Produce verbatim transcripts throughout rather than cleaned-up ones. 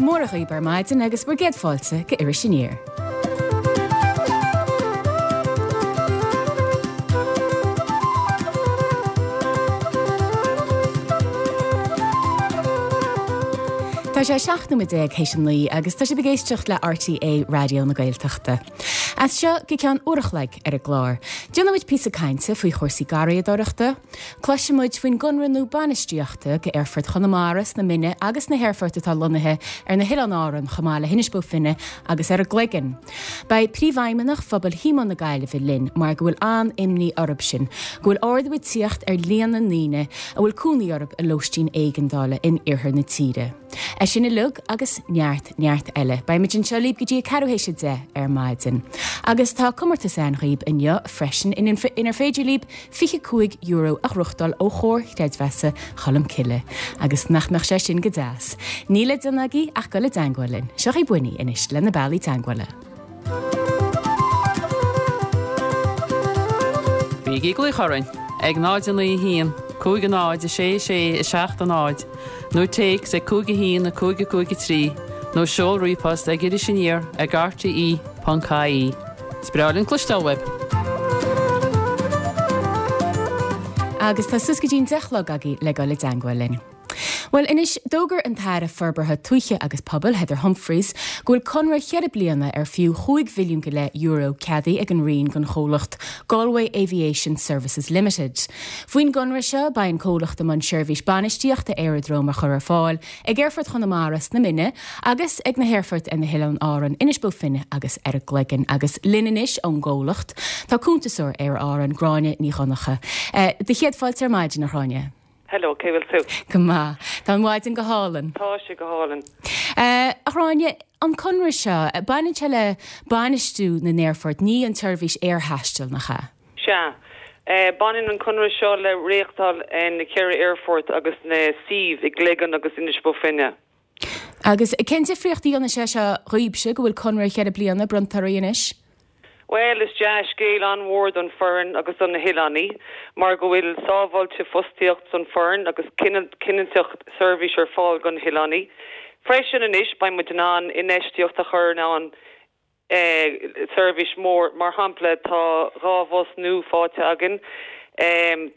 mór dhaoibh ar maidin agus bhur gcéad fáilte go Iris Aniar. Tá sé seacht nóiméad déag théis a naoi agus tá sibh ag éisteacht le RTÉ Raidió na Gaeltachta. As seo go ceann uair a chloig ar an gclár. Déanfaimid píosa cainte faoi chúrsaí garraíodóireachta, cloisfimid faoin gconradh nua bainistíochta go Aerfort Chonamara sna Mine agus na haerfoirt atá lonnaithe ar na hOileáin Árann chomh maith le hInis Bó Finne agus ar an gCloigeann. Beidh príomhfheidhmeannach phobal Thíomóin na Gaillimhe linn mar go bhfuil an-imní orthu sin, go bhfuil ardú ag tíocht ar líon na ndaoine a bhfuil cónaí orthu i lóistín éigeandála in iarthar na tíre. É sin uilig agus neart neart eile. Beimid anseo libh go dtí a ceathrú théis a deich ar maidin. Agus tá comórtas ann dhaoibh inniu freisin inar féidir libh fiche cúig euro a ghnóthachtáil ó Chomhar Creidmheasa Cholmcille. Agus nach mbeadh sé sin go deas. Níl le déanamh agaibh ach dul i dteagmháil linn. Seo í Winnie anois le na bealaí teagmhála. Bígí ag glaoch orainn ag náid a naoi haon, cúig a náid a sé sé a seacht a náid, nó téacs ag cúig a haon a cúig a cúig a trí, nó seol ríomhphost ag Iris Aniar ag rte ponc ie. Is breá linn cloisteáil uaibh. Agus tá suas go dtí'n deich a chlog agaibh le dul i dteagmháil linn. Bhuel, anois d'fhógair an tAire Forbartha Tuaithe agus Pobail, Heather Humphreys, go bhfuil conradh cheithre bliana ar fiú chúig mhilliún go leith euro ceadaithe ag an Roinn don chomhlacht Galway Aviation Services Limited. Faoin gconradh seo, beidh an comhlacht i mbun seirbhís bainistíochta aeradróm a chur ar fáil ag Aerfort Chonamara sna Mine agus ag na haerfoirt ar na hOileáin Árann, Inis Bó Finne agus ar an gCloigeann. Agus linn anois ón gcomhlacht, tá cuntasóir Aer Árann, Gráinne Ní Dhonncha. Do chéad fáilte ar maidin, a Ghráinne. Hello, cé bhfuil tú? Go maith. Tá an mhaidin go hálainn. Tá sé go hálainn. A Ghráinne, an conradh seo, baineann sé le bainistiú na n-aerfort, ní an tseirbhís aerthaistil, nach ea? Sea. Baineann an conradh seo le reáchtáil na ceithre aerfort agus na suímh i gCloigeann agus Inis Bó Finne. Agus cén difríocht a dhéanann sé seo dhaoibhse go bhfuil conradh cheithre bliana bronnta oraibh anois? Bhuel, is dea-scéal an-mhór don foireann agus do na hoileánaigh mar go bhfuil sábháilte fostaíocht don foireann agus cinnteacht seirbhís ar fáil don hoileánaigh. Freisin anois beidh muid in ann infheistíocht a chur in ann seirbhís mór. Mar shampla, tá dhá bhus nua faighte againn.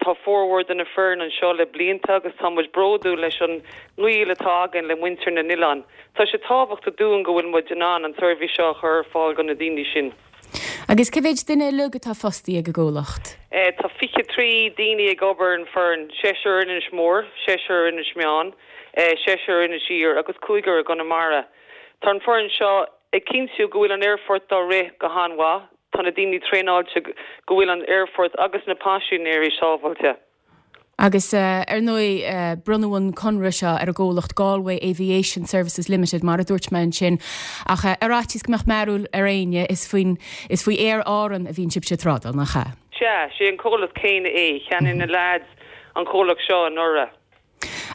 Tá formhór de na foireann anseo le blianta agus tá muid bródúil leis an ngaol atá againn le muintir na n-oileán. Tá sé tábhachtach dúinn go bhfuil muid in ann an tseirbhís seo a chur ar fáil do na daoine sin. Agus cé mhéid duine uilig atá fostaí ag an gcomhlacht? Tá fiche trí daoine ag obair an foireann, seisear in Inis Mór, seisear in Inis Meáin, seisear in Inis Oírr agus cúigear i gConamara. Tá an foireann seo ag cinntiú go bhfuil an aerfort á rith go han-mhaith, tá na daoine traenáilte go bhfuil an aerfort agus na paisinéirí sábháilte. Agus ar ndóigh, bronnadh an conradh seo ar an gcomhlacht Galway Aviation Services Limited, mar a dúirt mé ansin, ach ar fhaitíos go mbeadh mearbhall ar éinne, is faoin, is faoi Aer Árann a bhíonn sibhse ag trádáil, nach ea? Sea, sé an comhlacht céanna é, cheannaigh na leaids an comhlacht seo anuraidh.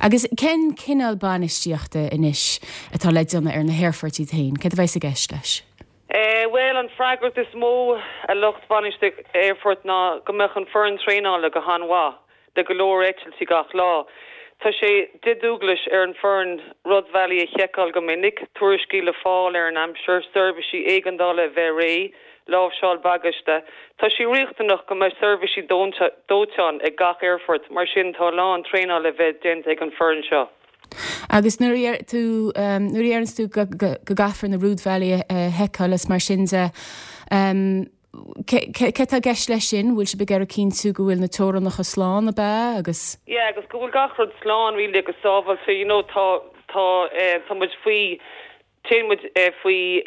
Agus cén cineál bainistíochta anois atá le déanamh ar na haerfoirt iad féin? Céard a bheas i gceist leis? Bhuel, an freagracht is mó a lucht bainistithe aerfoirt ná go mbeadh an foireann traenála go han-mhaith le go leor eitiltí gach lá. Tá sé de dhualgas ar an foireann rúidbhealaí a sheiceáil go minic, tuairiscí le fáil ar an aimsir, seirbhísí éigeandála a bheith réidh, láimhseáil bagaiste. Tá sé riachtanach go mbeidh seirbhísí dóiteáin ag gach aerfort, mar sin tá a lán traenála le bheith déanta ag an foireann seo. Agus nuair a deir tú, nuair a deireanns tú go gcaithfear na rúidbhealaí a sheiceáil is mar sin de, cé atá i gceist leis sin? Bhfuil sibh ag iarraidh cinntiú go bhfuil na teorainneacha slán, ab ea? Agus. Yeah, agus go bhfuil gach rud slán really agus sábháilte, you know, tá, tá, tá muid faoi, téann muid faoi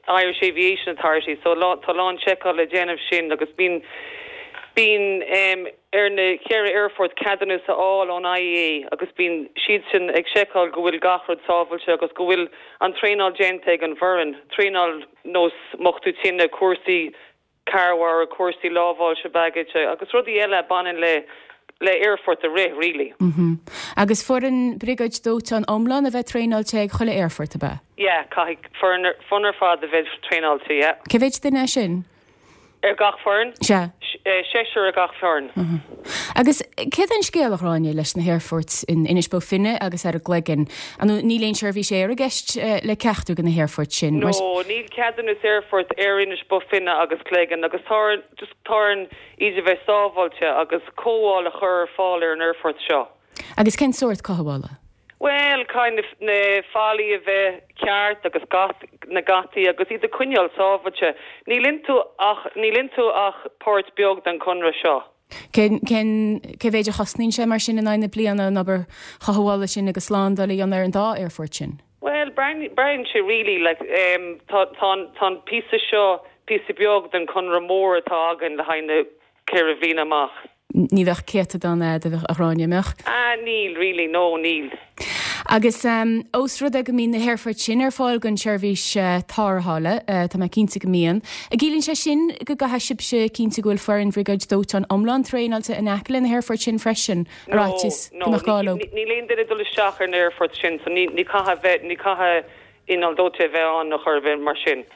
Irish Aviation Authority so tá a lán seiceáil le déanamh sin agus bíonn, bíonn ar na ceithre aerfort ceadúnas a fháil ón IAA agus bíonn siadsan ag seiceáil go bhfuil gach rud sábháilte agus go bhfuil an traenáil déanta ag an bhfoireann, traenáil nós múchadh tine, cúrsaí cabhrach, cúrsaí láimhseáil bagaiste agus rudaí eile a bhaineann le le aerfort a rith, really. Mm-hmm. Agus foireann briogáid dóiteáin iomlán a bheith traenáilte ag chuile aerfort, ab ea? Yeah, caithfidh foireann foireann ar fad a bheith traenáilte, yeah. Cé mhéid duine é sin? Ar gach foireann? Sea. Seisear ar gach foireann. Mm-hmm. Agus céard é an scéal, a Ghráinne, leis na haerfoirt in Inis Bó Finne agus ar an gCloigeann? An níl aon seirbhís aeir i gceist le ceachtar de na haerfoirt sin? No, níl ceadúnas aerfoirt ar Inis Bó Finne agus Cloigeann agus tá just tá orainn iad a bheith sábháilte agus cothabháil a chur ar fáil ar an aerfort seo. Agus cén sórt cothabhála? Well, kind of na fallaí a bheith ceart agus gat, na geataí agus iad a choinneáil sábháilte. Níl iontu ach níl iontu ach páirt beag den conradh seo. Cén cé mhéid a chosnaíonn sé mar sin in aghaidh na bliana an obair chothabhála sin agus slándáil a dhéanamh ar an dá aerfort sin? Well, braitheann sé really like um, tá tá tá an píosa seo píosa beag den conradh mór atá againn le haghaidh na ceithre bhliana amach. Ní bheadh céatadán a bheadh a Ghráinne mbeadh? Ah, níl really, no, níl. Agus um, ós rud é go mbíonn na haerfoirt sin ar fáil don seirbhís uh, tarrthála, uh, tá mé cinnte go mbíonn. An gciallaíonn sé sin go gcaithfidh sibhse cinntiú go bhfuil foireann bhriogáid dóiteáin iomlán traenáilte in aice le na haerfoirt sin freisin No, ar fhaitíos no, go mbeadh gá leo. Níl aon duine dul isteach ar na aerfoirt sin, so ní ní caithfidh bheith ní caithfidh inneall dóiteáin a bheith ann nó chor bheith mar sin.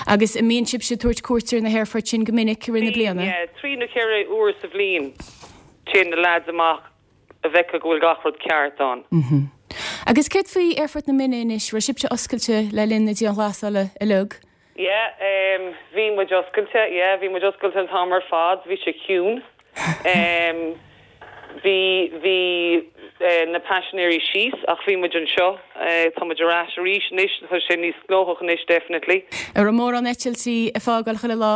Agus an mbíonn sibhse ag tabhairt cuairt ar na haerfoirt sin go minic i rith na bliana? Yeah, trí nó ceithre uair sa bhliain téann na lads amach a bheith go bhfuil gach rud ceart ann. Mm -hmm. Agus céard faoi Aerfort na Minne anois, raibh sibhse oscailte le linn na dianghlasála uilig? Yeah, um, bhí muid oscailte, yeah, bhí muid oscailte an t-am ar fad, bhí sé ciúin. Um, bhí bhí uh, na paisinéirí síos ach bhí muid anseo, uh, tá muid ar ais arís anois, tá sé níos gnóthach anois definitely. An raibh mórán eitiltí ag fágáil chuile lá?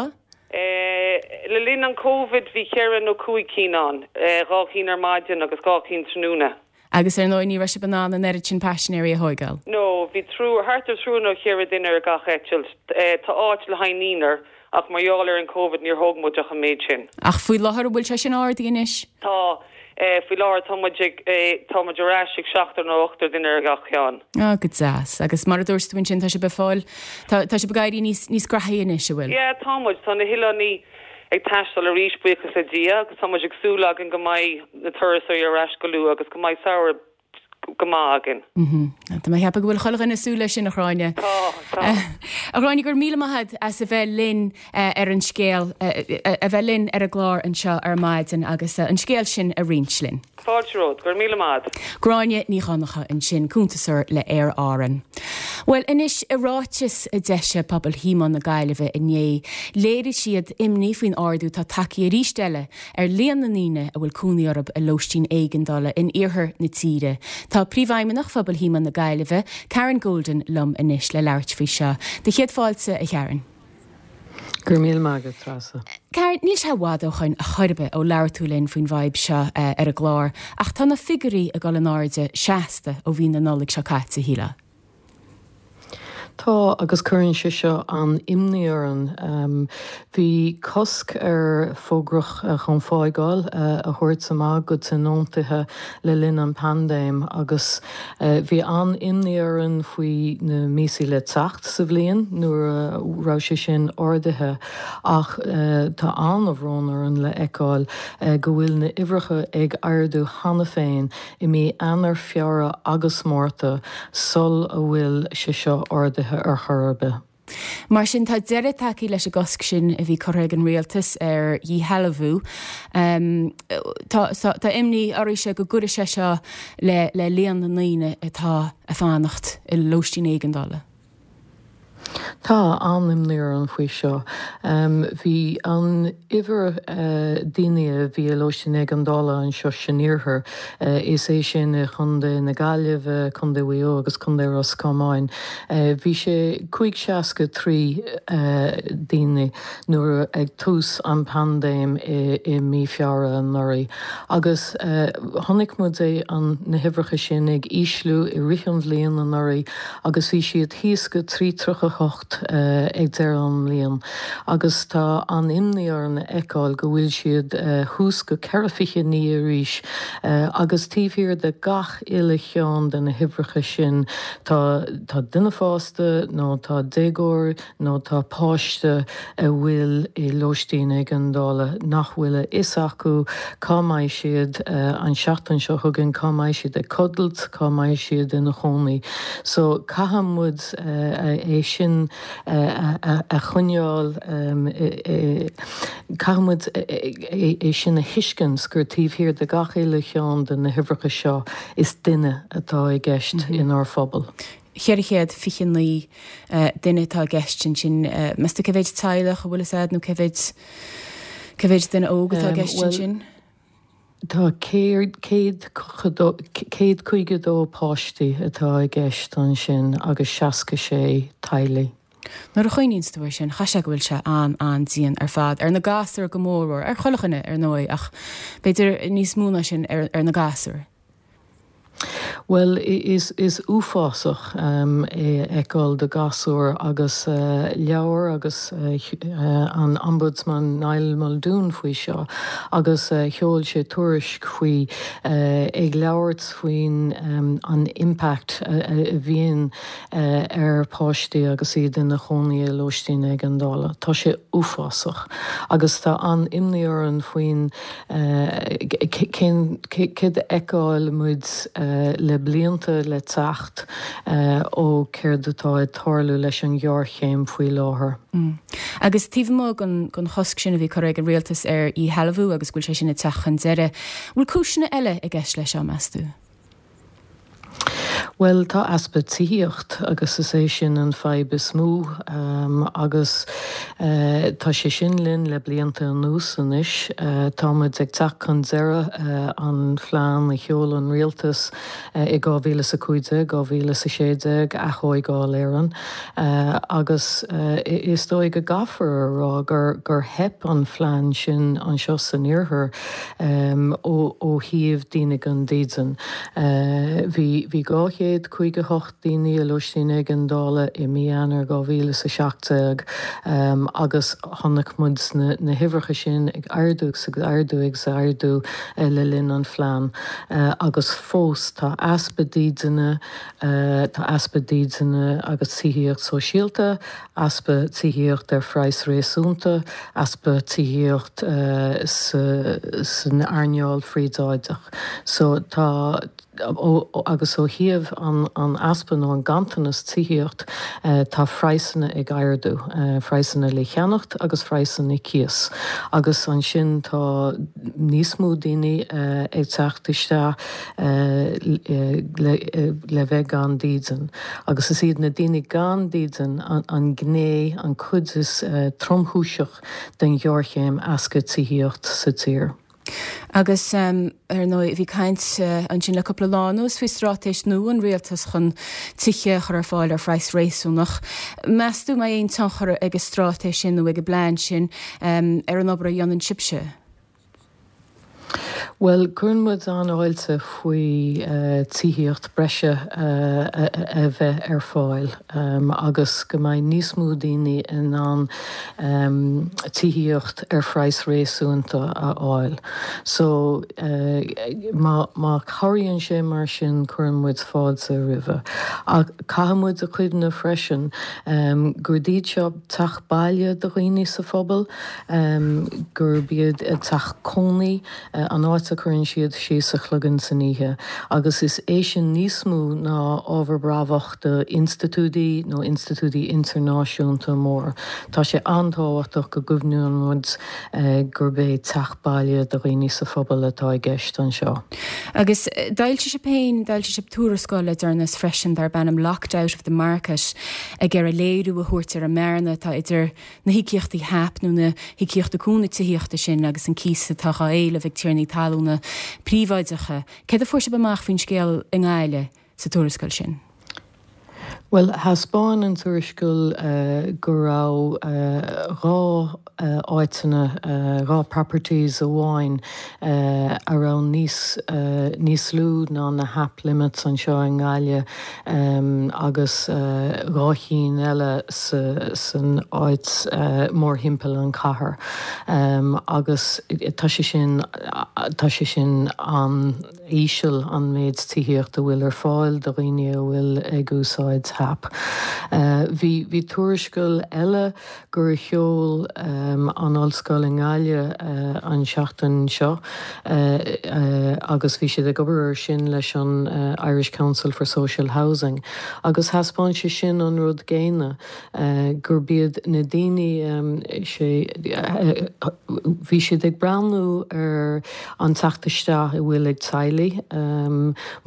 Uh, le linn an COVID bhí ceithre nó cúig cinn ann, uh, dhá cinn ar maidin agus dhá cinn tráthnóna. Agus ar ndóigh ní raibh sibh in ann an oiread sin paisinéirí a thógáil. No, bhí triúr thart ar triúr nó ceithre duine ar gach eitilt. Uh, tá áit le haghaidh naonúr ach mar gheall ar an COVID níor thóg muid ach an méid sin. Ach faoi láthair bhfuil sé sin ardaithe anois? Tá uh, faoi láthair tá muid ag uh, tá muid ar ais ag seachtar nó ochtar duine ar gach ceann. Á go deas, agus mar a dúirt tú sin tá sibh ag fáil tá tá sibh ag éirí níos níos gnaithí anois an bhfuil. Yeah, tá muid tá na hoileánaigh ag taisteal arís buíochas le Dia agus tá muid ag súil againn go mbeidh na turasóirí ar ais go luath agus go mbeidh samhradh go maith againn. Mhm. Tá mé ag ceapadh go bhfuil chuile dhuine ag súil leis sin a Ghráinne. Tá tá. A Ghráinne gur míle maith as a bheith linn uh, ar an scéal uh, a bheith linn ar an gclár anseo ar maidin agus uh, an scéal sin a roinnt linn. Fáilte romhat, gur míle maith. Gráinne Ní Dhonncha ansin cuntasóir le Aer Arann. Well anois i ráiteas a d'eisigh pobal Thíomán na Gaillimhe inné, léirigh siad imní faoin ardú atá tagtha arís eile ar líon na ndaoine a bhfuil cónaí orthu i lóistín éigeandála in iarthar na tíre. Tá príomhfheidhmeannach phobal Thíomán na Gaillimhe, Karen Golden liom anois le labhairt faoi seo. Do chéad fáilte a Karen. Gur míle maith agat Treasa. Karen, níl sé i bhfad ó shin a chor ar bith ó labhair tú linn faoin bhfadhb seo uh, ar an gclár, ach tá na figiúirí ag dul in airde seasta ó mhí na Nollag seo caite shílfeá. Tá agus cuireann sé seo an imní orainn. Um, bhí cosc ar fógra chun fágáil uh, a thabhairt amach go tionóntaithe le linn an paindéim agus uh, bhí an imní orainn faoi na míosa le teacht sa bhliain nuair a raibh sé sin ardaithe ach uh, tá an-bhrón orainn le feiceáil uh, go bhfuil na huimhreacha ag ardú cheana féin i mí Eanáir Feabhra agus Márta sula bhfuil sé seo ardaithe ar chor ar bith. Mar sin tá deireadh tagtha leis an gcosc sin a bhí curtha ag an rialtas ar dhíshealbhú. Um, tá, tá, tá imní oraibhse go gcuirfidh sé seo le, le líon na ndaoine atá ag fanacht i lóistín éigeandála. Tá an-imní orainn faoi seo. Um, bhí an uimhir uh, daoine a bhí i lóistín éigeandála anseo san iarthar uh, is é sin Contae na Gaillimhe, Contae Mhaigh Eo agus Contae Ros Comáin. Uh, bhí sé cúig seasca trí uh, daoine nuair ag tús an paindéim i, i mí Feabhra anuraidh. Agus uh, chonaic muid é an na huimhreacha sin ag ísliú i rith an bhliain anuraidh agus bhí siad thíos go trí tríocha hocht uh, ag deireadh an bhliain. Agus tá an imní orainn a fheiceáil go bhfuil siad uh, thuas go ceithre fiche naoi arís uh, agus taobh thiar de gach uile cheann de na huimhreacha sin tá tá duine fásta nó tá déagóir nó tá páiste a bhfuil i lóistín éigeandála nach bhfuil a fhios acu cá mbeidh siad uh, an seachtain seo chugainn cá mbeidh siad ag codladh, cá mbeidh siad ina gcónaí. So caithfidh muid uh, é sin uh, a, a choinneáil um, Caithfidh muid é sin a thuiscint gur taobh thiar de gach uile cheann de na huimhreacha seo is duine atá i gceist inár phobal. Ceithre chéad fiche naoi duine atá i gceist ansin. Meas tú cé mhéid teaghlach a bhfuil fhios a'd nó cé mhéid cé mhéid duine óg atá i gceist ansin? Tá céad céad caoga dó páistí atá i gceist ansin agus seasca sé teaghlaigh. Nuair a chuimhníonns tú air sin, chaithfidh sé go bhfuil sé an-an-dian ar fad, ar na gasúir go mórmhór, ar chuile dhuine ar ndóigh, ach b'fhéidir níos mó ná sin ar ar na gasúir. Bhuel, is is uafásach é a fheiceáil do ghasúir agus labhair agus an Ombudsman Niall Muldoon faoi seo agus sheol sé tuairisc faoi ag labhairt faoin an impact a bhíonn ar pháistí agus iad ina chónaí i lóistín éigeandála. Tá sé uafásach agus tá an-imní orainn faoin cén céard a fheiceáil muid le blianta le teacht ó céard atá ag tarlú leis an ghéarchéim faoi láthair. Agus taobh amuigh den chosc sin a bhí curtha ag an rialtas ar dhíshealbhú agus go bhfuil sé sin ag teacht chun deireadh, bhfuil cúiseanna eile i gceist leis seo, meas tú? Bhuel, tá easpa tithíocht agus is é sin an fadhb is mó agus tá sé sin linn le blianta anuas anois. Tá muid ag teacht chun deireadh an phlean a sheol an rialtas i dhá mhíle is a cúig déag, dhá mhíle is a sé déag, Athógáil Éireann, agus is dóigh go gcaithfear a rá gur gur theip an phlean sin anseo san iarthar ó ó thaobh daoine gan dídean. Bhí bhí dhá chéad caoga hocht daoine i lóistín éigeandála i mí Eanáir dhá mhíle is a seacht déag agus chonaic muid na na huimhreacha sin ag ardú agus ag ardú agus ag ardú le linn an phlean agus fós tá easpa dídine, tá easpa dídine agus tithíocht sóisialta, easpa tithíocht ar phraghas réasúnta, easpa tithíocht san earnáil phríobháideach. So tá agus ó thaobh an easpa nó an ganntanas tithíocht, tá praghsanna ag ardú, praghsanna le cheannacht agus praghsanna cíos. Agus ansin tá níos mó daoine ag teacht isteach le bheith gan dídean. Agus is iad na daoine gan dídean an gné, an cuid is tromchúiseach den ghéarchéim easpa tithíocht sa tír. Agus ar ndóigh bhí caint ansin le cúpla lá anuas faoi straitéis nua an rialtais chun tithe a chur ar fáil ar phraghas réasúnach. Meas tú mbeidh aon tionchar ag an straitéis sin nó ag an bplean sin ar an obair a dhéanann sibhse? Bhuel, cuireann muid an-fháilte faoi tithíocht breise a bheith ar fáil agus go mbeidh níos mó daoine in ann tithíocht ar phraghas réasúnta a fháil. So má má chabhraíonn sé mar sin cuireann muid fáilte roimhe. Ach caithfidh muid a chuimhneamh freisin gurb iad seo teach baile do dhaoine sa phobal, gurb iad teach cónaí an áit a chuireann siad síos a chloigeann san oíche, agus is é sin níos mó ná ábhar brabach do institiúidí nó institiúidí idirnáisiúnta mór. Tá sé an-tábhachtach go gcuimhníonn muid gurb é teach baile do dhaoine sa phobal atá i gceist anseo. Agus d'fhoilsigh sibh féin, d'fhoilsigh sibh tuarascáil le deireanas freisin darb ainm Locked Out of the Market ag iarraidh léiriú a thabhairt ar an mbearna atá idir na híocaíochtaí HAP nó na híocaíochtaí cúnamh tithíochta sin agus an cíos atá á éileamh ag tiarnaí talúna príobháideacha. Céard a fuair sibh amach faoin scéal i nGaillimh sa tuarascáil sin? Bhuel, thaispeáin an tuarascáil go raibh dhá áiteanna, dhá properties amháin a raibh níos níos lú ná na HAP limits anseo i nGaillimh agus dhá chinn eile san áit mórthimpeall an chathair agus tá sé sin tá sé sin an-íseal an méid tithíocht a bhfuil ar fáil do dhaoine a bhfuil ag úsáid tap. Bhí bhí tuarascáil eile gur sheol an ollscoil i nGaillimh an seachtain seo agus bhí siad ag obair ar sin leis an Irish Council for Social Housing agus thaispeáin sé sin an rud céanna gurb iad na daoine sé bhí siad ag breathnú ar an teacht isteach a bhfuil ag teaghlaigh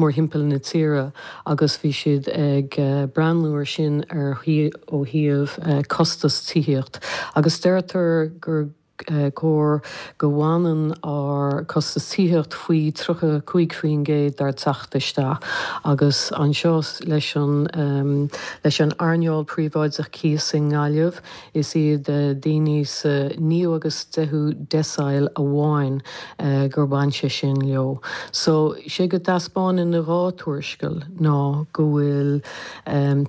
mórthimpeall na tíre agus bhí siad ag breathnú ar sin ar ó thaobh costas tithíocht agus deirtear gur cóir go bhfanann ár costas tithíocht faoi tríocha cúig faoin gcéad dár teacht isteach agus anseo leis an leis an earnáil príobháideach cíos i nGaillimh is iad daoine sa naoú agus deichiú decile amháin gur bhain sé sin leo. So sé go dtaispeánann na dhá tuarascáil ná go bhfuil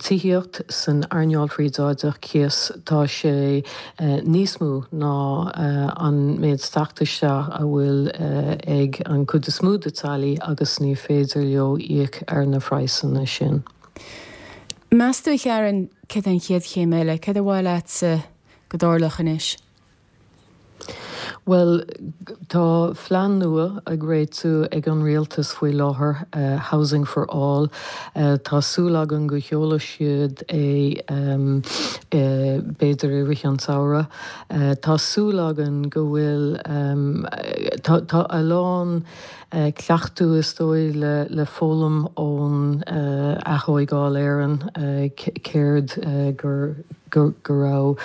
tithíocht san earnáil phríobháideach cíos tá sé níos mó ná an méid teacht isteach a bhfuil ag an cuid is mó de teaghlaigh agus ní féidir leo íoc ar na praghsanna sin. Meas tú a Karen cad an chéad chéim eile, cad a mhaith leatsa go dtarlódh anois? Well, tá plean nua ag réitiú ag an rialtas faoi láthair uh, Housing for All. Uh, tá súil againn go sheolfaidh siad é um, uh, b'fhéidir i rith an tsamhraidh. Uh, tá súil againn go bhfuil um, tá, tá a lán uh, cleachtadh is dóigh le, le foghlaim ón uh, athógáil Éireann uh, céard uh, gur go go raibh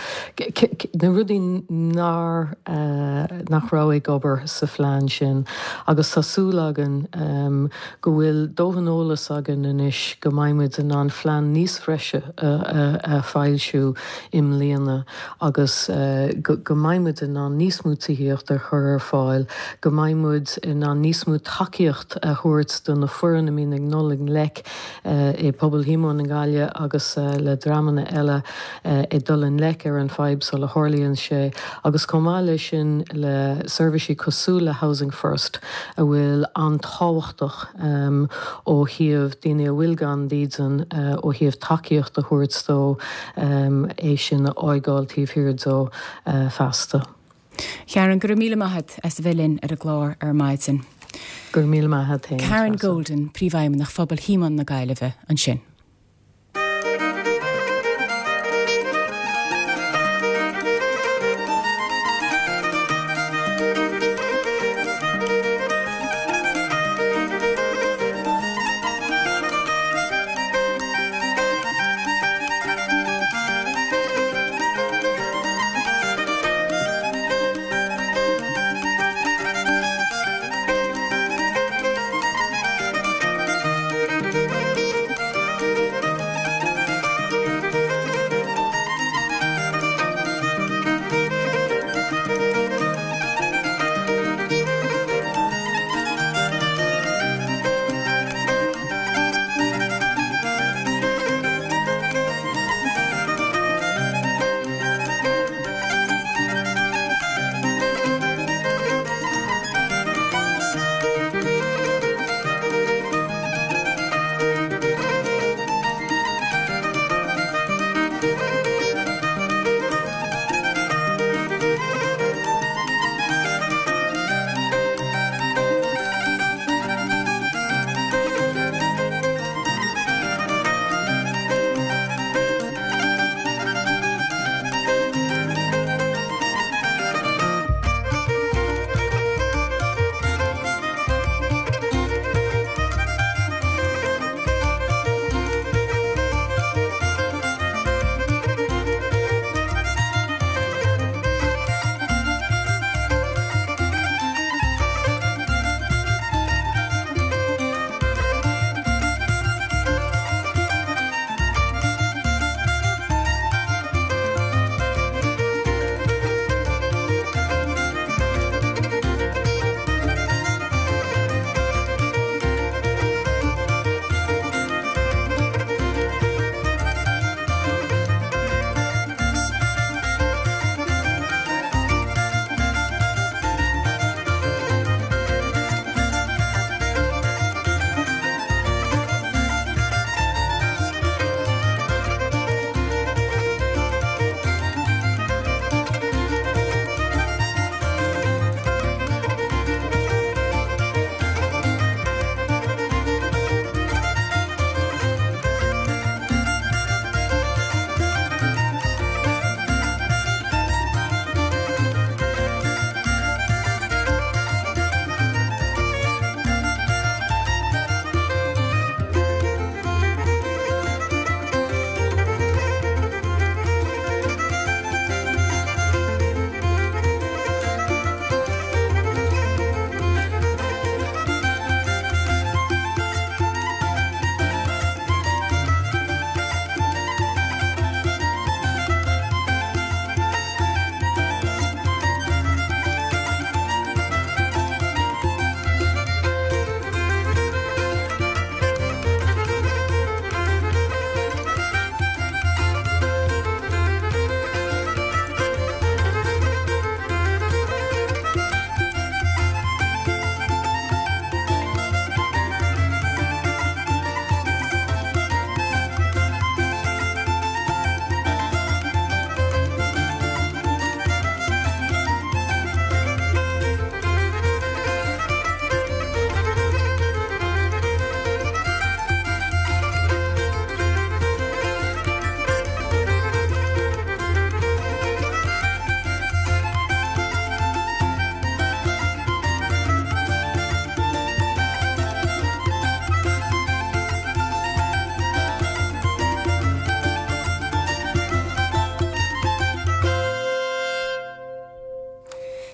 na rudaí nár uh, nach raibh ag obair sa phlean sin agus tá súil againn um, go bhfuil dóthain eolas againn anois go mbeimid in ann plean níos freise a, a, a fhoilsiú i mbliana agus uh, go, go mbeimid in ann níos mó tithíocht a chur ar fáil, go mbeimid in ann níos mó tacaíocht a thabhairt do na foireann a mbíonn ag dul i ngleic uh, i pobal Shíomóin i nGaillimh agus uh, le dreamanna eile uh, ag dul i ngleic ar an fadhb sula tharlaíonn sé agus chomh maith leis sin le seirbhísí cosúil le Housing First a bhfuil an-tábhachtach um, ó thaobh daoine a bhfuil gan dídean uh, ó thaobh tacaíocht a thabhairt dó um, é sin a fhágáil taobh thiar dó uh, feasta. Karen go raibh míle maith as a bheith linn ar an gclár ar maidin. Gur míle maith Karen Golden, príomhfheidhmeannach Phobal Shíomóin na Gaillimhe ansin.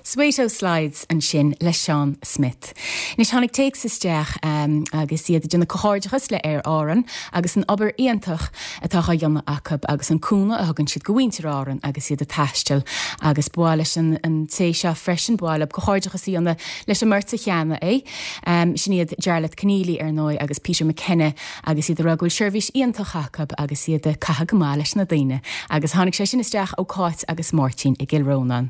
Sweeto Slides ansin le Sean Smith. Anois tháinig téacs isteach um, agus iad ag déanamh comhghairdeachas le Aer Árann agus an obair iontach atá á dhéanamh acu agus an cúnamh a thugann siad do mhuintir Árann agus iad ag taisteal agus ba mhaith leis an, an té seo freisin ba mhaith leo comhghairdeachas a dhéanamh leis an mbeirt cheana é. Um, sin iad Jarlath Keneally ar ndóigh agus Peter McKenna agus iad a rá go bhfuil seirbhís iontach acu agus iad ag caitheamh go maith leis na daoine. agus tháinig sé sin isteach ó Cáit agus Máirtín i gCill Rónáin.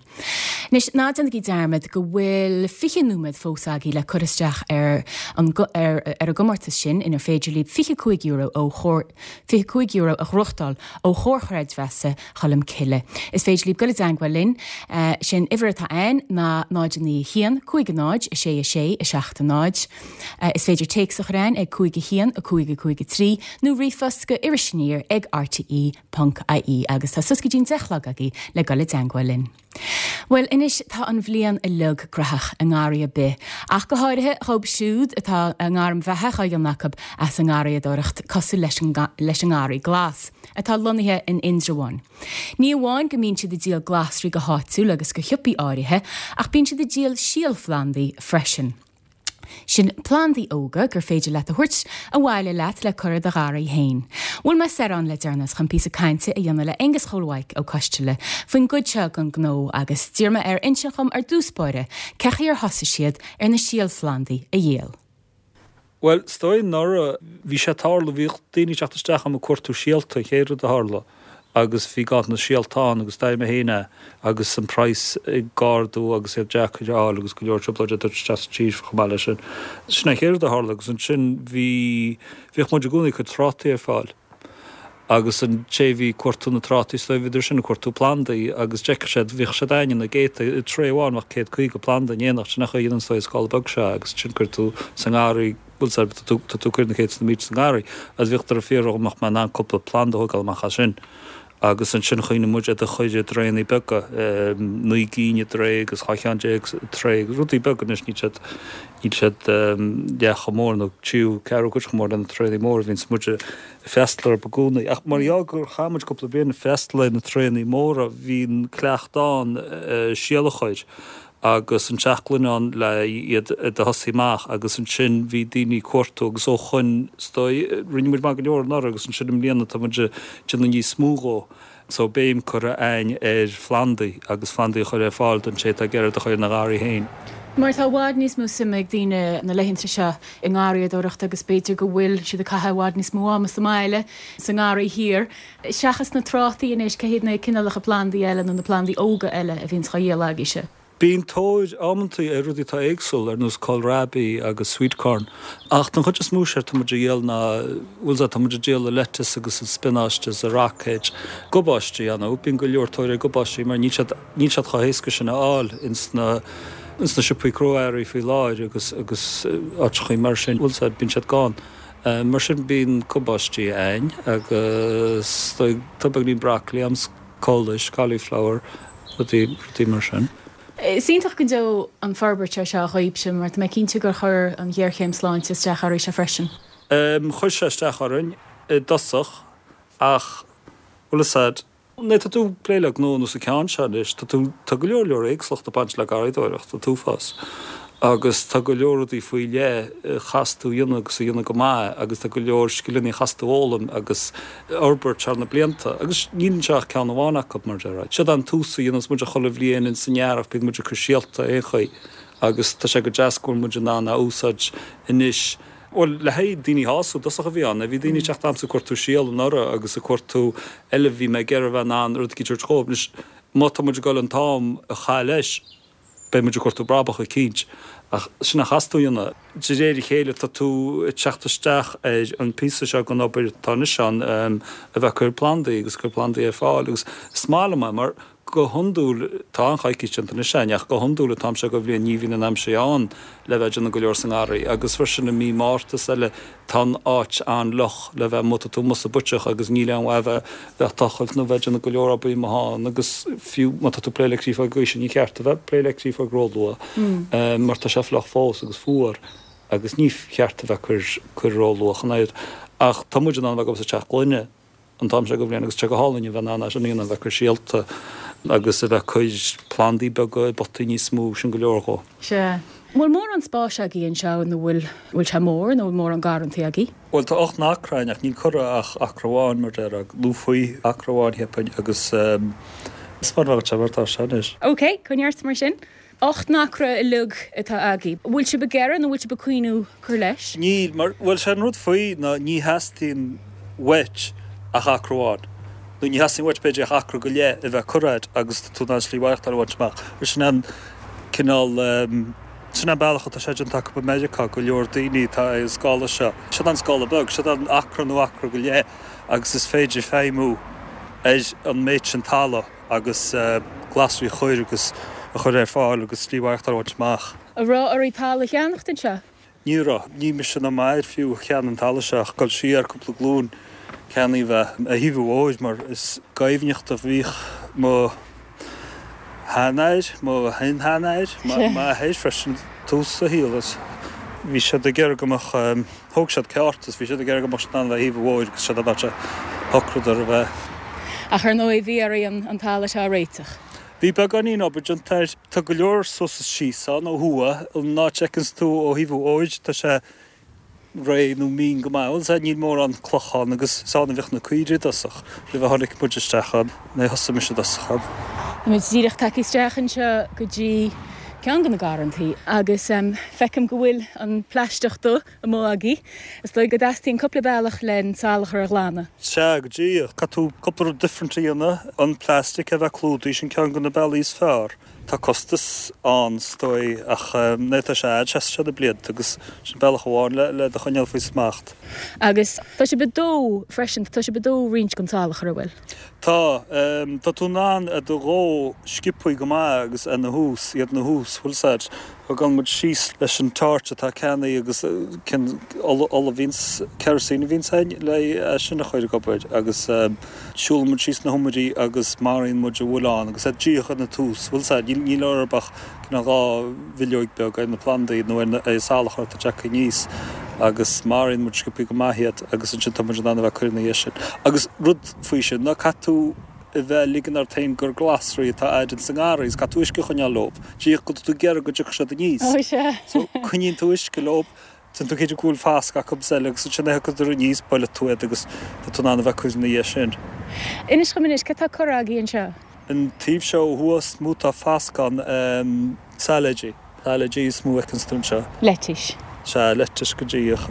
Anois ná déanaigí dearmad go bhfuil fiche nóiméad fós agaibh le cur isteach ar an ar, ar an gcomórtas sin inar féidir libh fiche cúig euro ó chóir fiche cúig euro a ghnóthachtáil ó Chomhar Creidmheasa Cholm Cille. Is féidir libh dul i dteagmháil linn uh, sin uimhir atá ann ná náid naoi haon cúig náid a sé a sé a seacht náid. Uh, is féidir téacs a chur chugainn ag cúig a haon a cúig a cúig a trí nó ríomhphost go irisaniar ag rte.ie agus tá suas go dtí an deich a chlog agaibh le dul i dteagmháil linn. Well anois tá an bhliain uilig graitheach i ngarraí ar bith, ach go háirithe dóibh siúd atá a ngairm bheatha á dhéanamh acu as an ngarraíodóireacht cosúil leis an leis an nGarraí Glas, atá lonnaithe in Indreabhán. Ní amháin go mbíonn siad ag díol glasraí go háitiúil agus go siopaí áirithe, ach bíonn siad ag díol síolphlandaí freisin. Sin plandaí óga gur féidir leat a thabhairt abhaile leat le cur i do gharraí féin. Bhuail mé soir ann le deireanas chun píosa cainte a dhéanamh le Aengus Chóil Mhaidhc Ó Coisteala faoin gcuid seo den ghnó agus d'iarr mé air insint dhom ar dtús báire cén chaoi ar thosaigh siad ar na síolphlandaí a dhíol. Well, is dóigh anuraidh bhí sé tarlú bhíodh daoine teacht isteach ag cuartú síolta an chéad rud a tharla agus bhí ganntanas síolta ann agus dá mba héine agus an price ag ardú agus iad deacair a fháil agus go leor trioblóid isteach sa tír chomh maith leis sin. Sin an chéad rud a tharla agus ansin bhí bhíodh muid i gcónaí ag cur trátaí ar fáil. Agus an té bhí ag cuartú na trátaí is bhíodar sin ag cuartú plandaí agus d'fheicfeadh siad bhíodh siad againne na gcéadta i tray amháin bheadh céad caoga planda in éineacht sin nach dhéanann an scála beag seo agus sin cuir tú sa ngarraí bhfuil tá tú tá tú ag cur na céadta mílte sa ngarraí agus bhíodh ar fiafraí nach mbeadh in ann cúpla planda a thógáil amach as sin. agus ansin chuimhnigh muid iad a chur i dtraenaí beaga, naoi gcinn i dtray agus dhá cheann déag i dtray agus rudaí beaga anois níl siad níl siad leath chomh mór nó tríú ceathrú cuid chomh mór le na traenaí móra a bhíonns muid ag freastal orthu i gcónaí. Ach mar gheall gur chaith muid cúpla bliain ag freastal ar na traenaí móra bhí an cleachtadh ann síol a chur agus an teach gloine ann le iad a thosaí amach agus ansin bhí daoine ag cuartú agus ó shoin is dóigh rinne muid maith go leor anuraidh agus ansin i mbliana tá muid ag déanamh níos mó dhó so béim curtha againn ar phlandaí agus plandaí a chur ar fáil don té atá ag iarraidh a chur ina gharraí féin. Mar tá i bhfad níos mó suime ag daoine na laethanta seo i ngarraíodóireacht agus b'fhéidir go bhfuil siad ag caitheamh i bhfad níos mó ama sa mbaile sa ngarraí thiar. Seachas na trátaí anois cé hiad na cineálacha plandaí eile nó na plandaí óga eile a bhíonns á dhíol agaibhse. Bíonn tóir amantaí ar rudaí atá éagsúil ar nós kohlrabi agus sweet corn, ach don chuid is mó séard tá muid a dhíol ná bhfuil tá muid ag díol an lettuce agus an spionáiste is an roicéid, gabáistí ann, bíonn go leor tóir ar gabáistí mar níl siad níl siad chomh héasca sin a fháil ins na ins na siopaí crua-earraí faoi láthair agus agus áiteachaí mar sin, bhfuil siad bíonn siad gann. Mar sin bíonn gabáistí againn agus tá beagáinín broccoli ann, cóilis, cauliflower, rudaí rudaí mar sin. Is iontach go deo an forbairt seo dhaoibhse mar tá mé cinnte gur chuir an ghéarchéim sláinte isteach oraibhse freisin. Chuir sé isteach orainn i dtosach ach bhfuil a fhios a'd, nuair tá tú ag plé le gnó ar nós an ceann seo anois, tá tú, tá go leor leor éagsúlacht ag baint le garraíodóireacht, an t-uafás. Agus tá go leor rudaí faoi leith a chaithfeas tú a dhéanamh agus a dhéanamh go maith agus tá go leor scileanna a chaithfeas tú a fhoghlaim agus a fhorbairt thar na blianta. Agus níl anseo ach ceann amháin acu, mar a déarfá. Siod an tús a dhéanas muid chuile bhliain ins an earrach, bíonn muid ag cur síolta aon chaoi agus tá sé go deas go bhfuil muid in ann a úsáid anois. Bhuel, le haghaidh daoine a shásamh, i dtosach a bhí ann. Bhí daoine ag teacht a'msa ag cuartú síol anuraidh agus ag cuartú eile, bhí mé ag iarraidh a bheith in ann rud eicínt a thabhairt dhóibh. Anois, má tá muid ag dul an t-am a chaitheamh leis, Beidh muid ag cuartú brabach eicínt, ach sin a chaithfeas tú a dhéanamh. De réir a chéile tá tú ag teacht isteach ar an phíosa seo den obair atá anois ann, a bheith ag cur plandaí agus cur plandaí ar fáil agus is maith liom é mar go hiondúil, tá an-choicís déanta anois againn ach go hiondúil an t-am seo de bhliain ní bhíonn an aimsir ann le bheith ag déanamh go leor sa ngarraí agus freisin i mí Márta is eile tá an áit an-fhliuch le bheith amuigh, tá tú amuigh sa bpuiteach agus níl aon mhaith a bheith ag tochailt nó bheith ag déanamh go leor obair amuigh ann agus fiú má tá tú ag plé le créafóg gaoise ní cheart a bheith ag plé le créafóg róluath mar tá sé fliuch fós agus fuar agus ní cheart a bheith ag cur róluath ach an oiread. Ach tá muid in ann a bheith ag obair sa teach gloine an t-am seo de bhliain agus tá sé go hálainn a bheith in ann é sin a dhéanamh, a bheith ag cur síolta Agus a bheith ag cur plandaí beaga i bpotaí níos mó, sin go leor dhó. Sea. Bhfuil mórán spáis agaibh anseo nó bhfuil bhfuil sé mór nó bhfuil mórán garrantaí agaibh? Bhuel tá ocht n-acra againn ach níl curtha ach acra amháin mar déarfá, nó faoi acra amháin cheapfainn agus is mar bheadh sé mar atá sé anois. Ok, coinnigh ort mar sin. Ocht n-acra uilig atá agaibh. Bhfuil sibh ag iarraidh nó bhfuil sibh ag cuimhniú cur leis? Níl, mar bhuel sé an rud faoi ná ní theastaíonn uait ach acra amháin. Nó ní theastaíonn uait b'fhéidir ach acra go leith a bheith curtha agat agus tá tú in ann slí mhaireachtáil a bhaint amach. Mar sin an cineál Sin an bealach atá sé déanta acu i Meiriceá, go leor daoine atá ar an scála seo. Siod an scála beag, siod an acra nó acra go leith agus is féidir feidhmiú ar an méid sin talamh agus glasraí a chur agus a chur ar fáil agus slí mhaireachtáil a bhaint amach. An raibh oraibh talamh a cheannacht anseo? Ní raibh. Ní mise ná m'athair fiú a cheannaigh an talamh seo ach ag dul siar cúpla glúin ceannaíodh é ar thaobh an bhóthair mar is gaibhneacht a bhíodh mo sheanathair, mo shin-sheanathair, m'athair freisin tús a shaoil is bhí siad ag iarraidh go mbeadh, thóg siad ceárta is bhí siad ag iarraidh go mbeadh siad in ann a bheith thaobh an bhóthair agus siod an áit a shocraíodar a bheith. Ach ar ndóigh bhí oraibh an talamh seo a réiteach. Bhí beagáinín obair déanta air. Tá go leor suas is síos ann ó thuaidh, an áit a fheiceanns tú ó thaobh an bhóthair tá sé réidh nó mín go maith. Bhuel, sea, níl mórán cloch ann agus is ann a bhíodh na caoirigh i dtosach, roimh a tháinig muid isteach ann, nó thosaigh mise i dtosach ann. Tá muid díreach tagtha isteach anseo go dtí ceann de na garrantaí agus feicim go bhfuil an plaisteach dubh amuigh agaibh. Is dóigh go dteastaíonn cúpla bealach len salachar a ghlanadh. Sea, go díreach. Caithfidh tú cúpla rud different a dhéanamh, an plastic a bheith clúdaithe, sin ceann de na bealaí is fearr. Tá costas ann, is dóigh, ach nuair atá sé a'd, seasfaidh sé na blianta agus sin bealach amháin le le do choinneáil faoi smacht. Agus tá sibh ag dó freisin, tá sibh ag dó roinnt den salachar, an bhfuil? Tá. Tá tú in ann iad a dhó sciobthaí go maith agus ina thús, iad ina thús, bhfuil 's a'd. Gabhann muid síos leis an torch atá ceannaithe agus cén ola a bhíonns, kerosene a bhíonns a'inn le é sin a chur ag obair agus siúlann muid síos na hiomairí agus maraíonn muid a bhfuil ann agus iad díreach ina tús, bhfuil 's a'd, níl níl orthu ach cineál dhá bhileoig beag ar na plandaí nó ar na ar an salachar atá tagtha aníos agus maraíonn muid sciobthaí go maith iad agus ansin tá muid in ann a bheith ag cur ina dhiaidh sin. Agus rud faoi sin ná caithfidh tú a bheith ag ligean ort féin gur glasraí atá a'd ins an ngarraí is caithfidh tú uisce a choinneáil leob, díreach go bhfuil tú ag iarraidh go dtiocfaidh siad aníos. Ó sea. So coinníonn tú uisce leob, déanann tú cinnte go bhfuil fascadh acu is eile agus ansin a thiocfadar aníos, buailfidh tú iad agus tá tú in ann a bheith ag cur ina dhiaidh sin. Inis dhom anois, cad tá curtha agaibh anseo? An taobh seo ó thuaidh is mó tá fascadh ann, sailéidí. Sailéidí is mó a fheiceanns tú anseo. Leitis. Sea, leitis go díreach.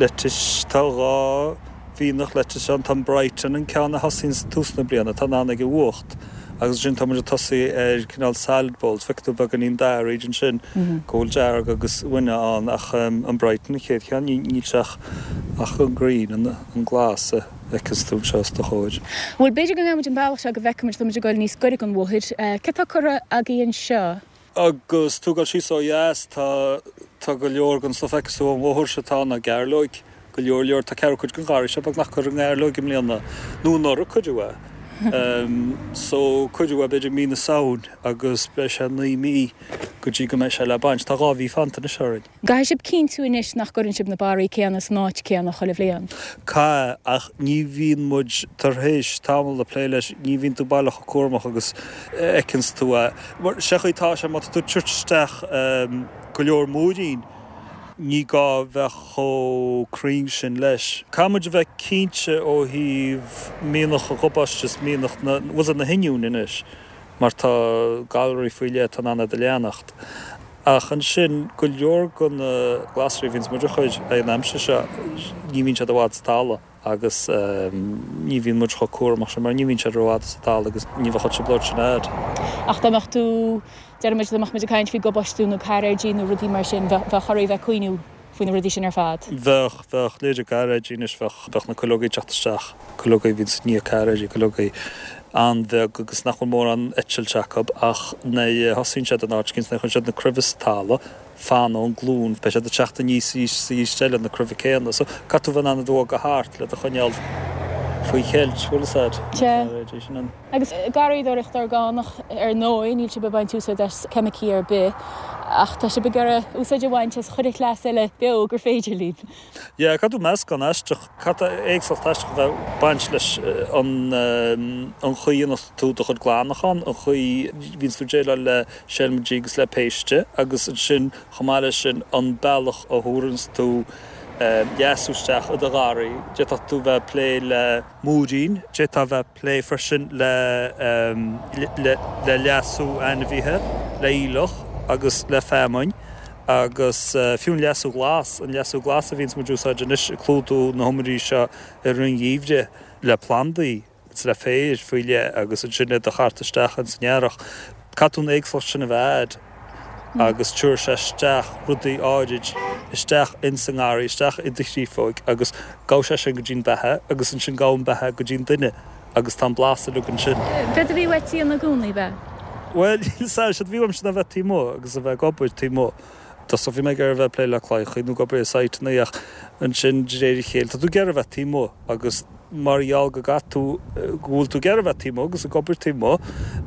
Leitis, tá dhá mhianach leitis ann. Tá an Brighton, an ceann a thosaíonns tús na bliana, tá in ann ag an bhfuacht. Agus ansin tá muid ag tosaí ar cineál salad bowls. Feicfidh tú beagáinín dath arís ansin, go bhfuil dearg agus uaine ann. Ach an Brighton an chéad cheann, níl sé ach ach an green, an glas a fheiceanns tú anseo os do chomhair. Bhuel, b'fhéidir go ngabhfaidh muid an bealach seo go bhfeicfidh muid, tá muid ag dul níos gaire don bhóthar. Cad tá curtha agaibh anseo? Agus tú ag dul síos ó dheas, tá, tá go leor den stuif a fheiceas tú ón bhóthar seo atá ann ná gairleoig. Go leor leor, tá ceathrú cuid den gharraí seo beagnach curtha i ngairleoig i mbliana, nó anuraidh cuireadh é. So, cuireadh é b'fhéidir mí na Samhain agus beidh sé naoi mí go dtí go mbeidh sé le baint. Tá dhá mhí fanta anois orainn. Caithfidh sibh cinntiú anois nach gcuireann sibh na barraí céanna san áit céanna chuile bhliain. Caithfidh, ach ní bhíonn muid tar éis tamall ag plé leis, ní bhíonn tú baileach chomh cúramach agus a fheiceanns tú é. Mar, sé chaoi atá sé, má tá tú ag tabhairt isteach go leor múirín, ní gá bheith chomh cruinn sin leis. Caithfidh muid a bheith cinnte ó thaobh mianach an ghobáiste is mianach na, bhfuil 's a'd, na hoinniúin anois, mar tá galraí faoi leith atá in ann iad a leanacht. Ach ansin, go leor de na glasraí a bhíonns muid a chur ag an aimsir seo, ní bhíonn siad i bhfad sa talamh agus ní bhíonn muid chomh cúramach sin mar ní bhíonn siad rófhada sa talamh agus ní bheadh an trioblóid sin a'd. Ach dá mbeadh tú, déarfaidh muid, dá mbeadh muid ag caint faoi gobáistiú nó cairéidí nó rudaí mar sin, bheadh oraibh bheith ag cuimhniú faoi na rudaí sin ar fad. Bheadh, bheadh. Leithéidí cairéidí anois, bheadh, bheadh na cuileogaí ag teacht isteach, cuileogaí a bhíonns i ndiaidh cairéidí, cuileogaí an-bheag agus nach bhfuil mórán eitilt acu ach nuair a thosaíonn siad in áit éicint, nuair a chuireann siad na cruimhe sa talamh, fanann ón glúin, beidh siad ag teacht aníos arís is arís eile, na cruimhe céanna. So, caithfidh tú bheith in ann iad a bhogadh thart le do choinneáil faoi cheilt, bhfuil fhios a'd. Sea. Agus garraíodóireacht orgánach ar ndóigh, níl sibh ag baint úsáid as ceimicí ar bith, ach tá sibh ag iarraidh úsáid a bhaint as chuile chleas eile beo gur féidir libh. Yeah, caithfidh tú meascán aisteach, caithfidh éagsúlacht aisteach a bheith ag baint leis an an chaoi a ndéanann tú do chuid glanachán, an chaoi a bhíonns tú ag déileáil le seilmidí agus le péiste agus ansin chomh maith leis sin an bealach a thabharanns tú leasú isteach i do gharraí. D'fhéadfadh tú bheith ag plé le múirín, d'fhéadfá bheith ag plé freisin le le leasú ainmhithe, le aoileach agus le feamainn agus fiú an leasú glas, an leasú glas a bhíonns muid ag úsáid anois ag clúdú na hiomairí seo i rith an gheimhridh le plandaí. agus le féar faoi leith agus ansin iad a chartadh isteach ins an earrach. Caithfidh tú an éagsúlacht sin a bheith a'd agus tabharfaidh sé isteach rudaí áirid isteach ins an ngarraí, isteach i do chréafóig agus gabhfaidh sé sin go dtí'n beatha agus ansin gabhann beatha go dtí'n duine agus tá an blas uilig ansin. Céard a bhí uait a dhéanamh i gcónaí, ab ea? Bhuel, níl 's a'm, séard a bhí uaimse ná bheith taobh amuigh agus a bheith ag obair taobh amuigh. Tosach bhí mé ag iarraidh a bheith ag plé le claíochaí nó ag obair i sáiteanna ach ansin de réir a chéile tá tú ag iarraidh a bheith taobh amuigh agus mar gheall go gcaithfidh tú, go bhfuil tú ag iarraidh a bheith taobh amuigh agus ag obair taobh amuigh,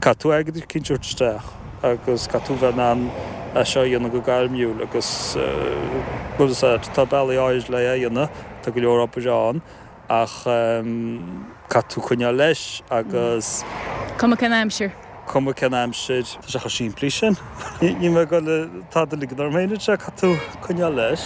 caithfidh tú airgead eicínt a thabhairt isteach agus caithfidh tú bheith in ann é seo a dhéanamh go gairmiúil agus bhfuil fhios a'd, tá bealaí áirid le é a dhéanamh, tá go leor obair ann ach caithfidh tú coinneáil leis agus. Cuma cén aimsir. Cuma cén aimsir. Tá sé chomh simplí sin. Níl mé ag dul tada a ligean orm féin anseo, caithfidh tú coinneáil leis.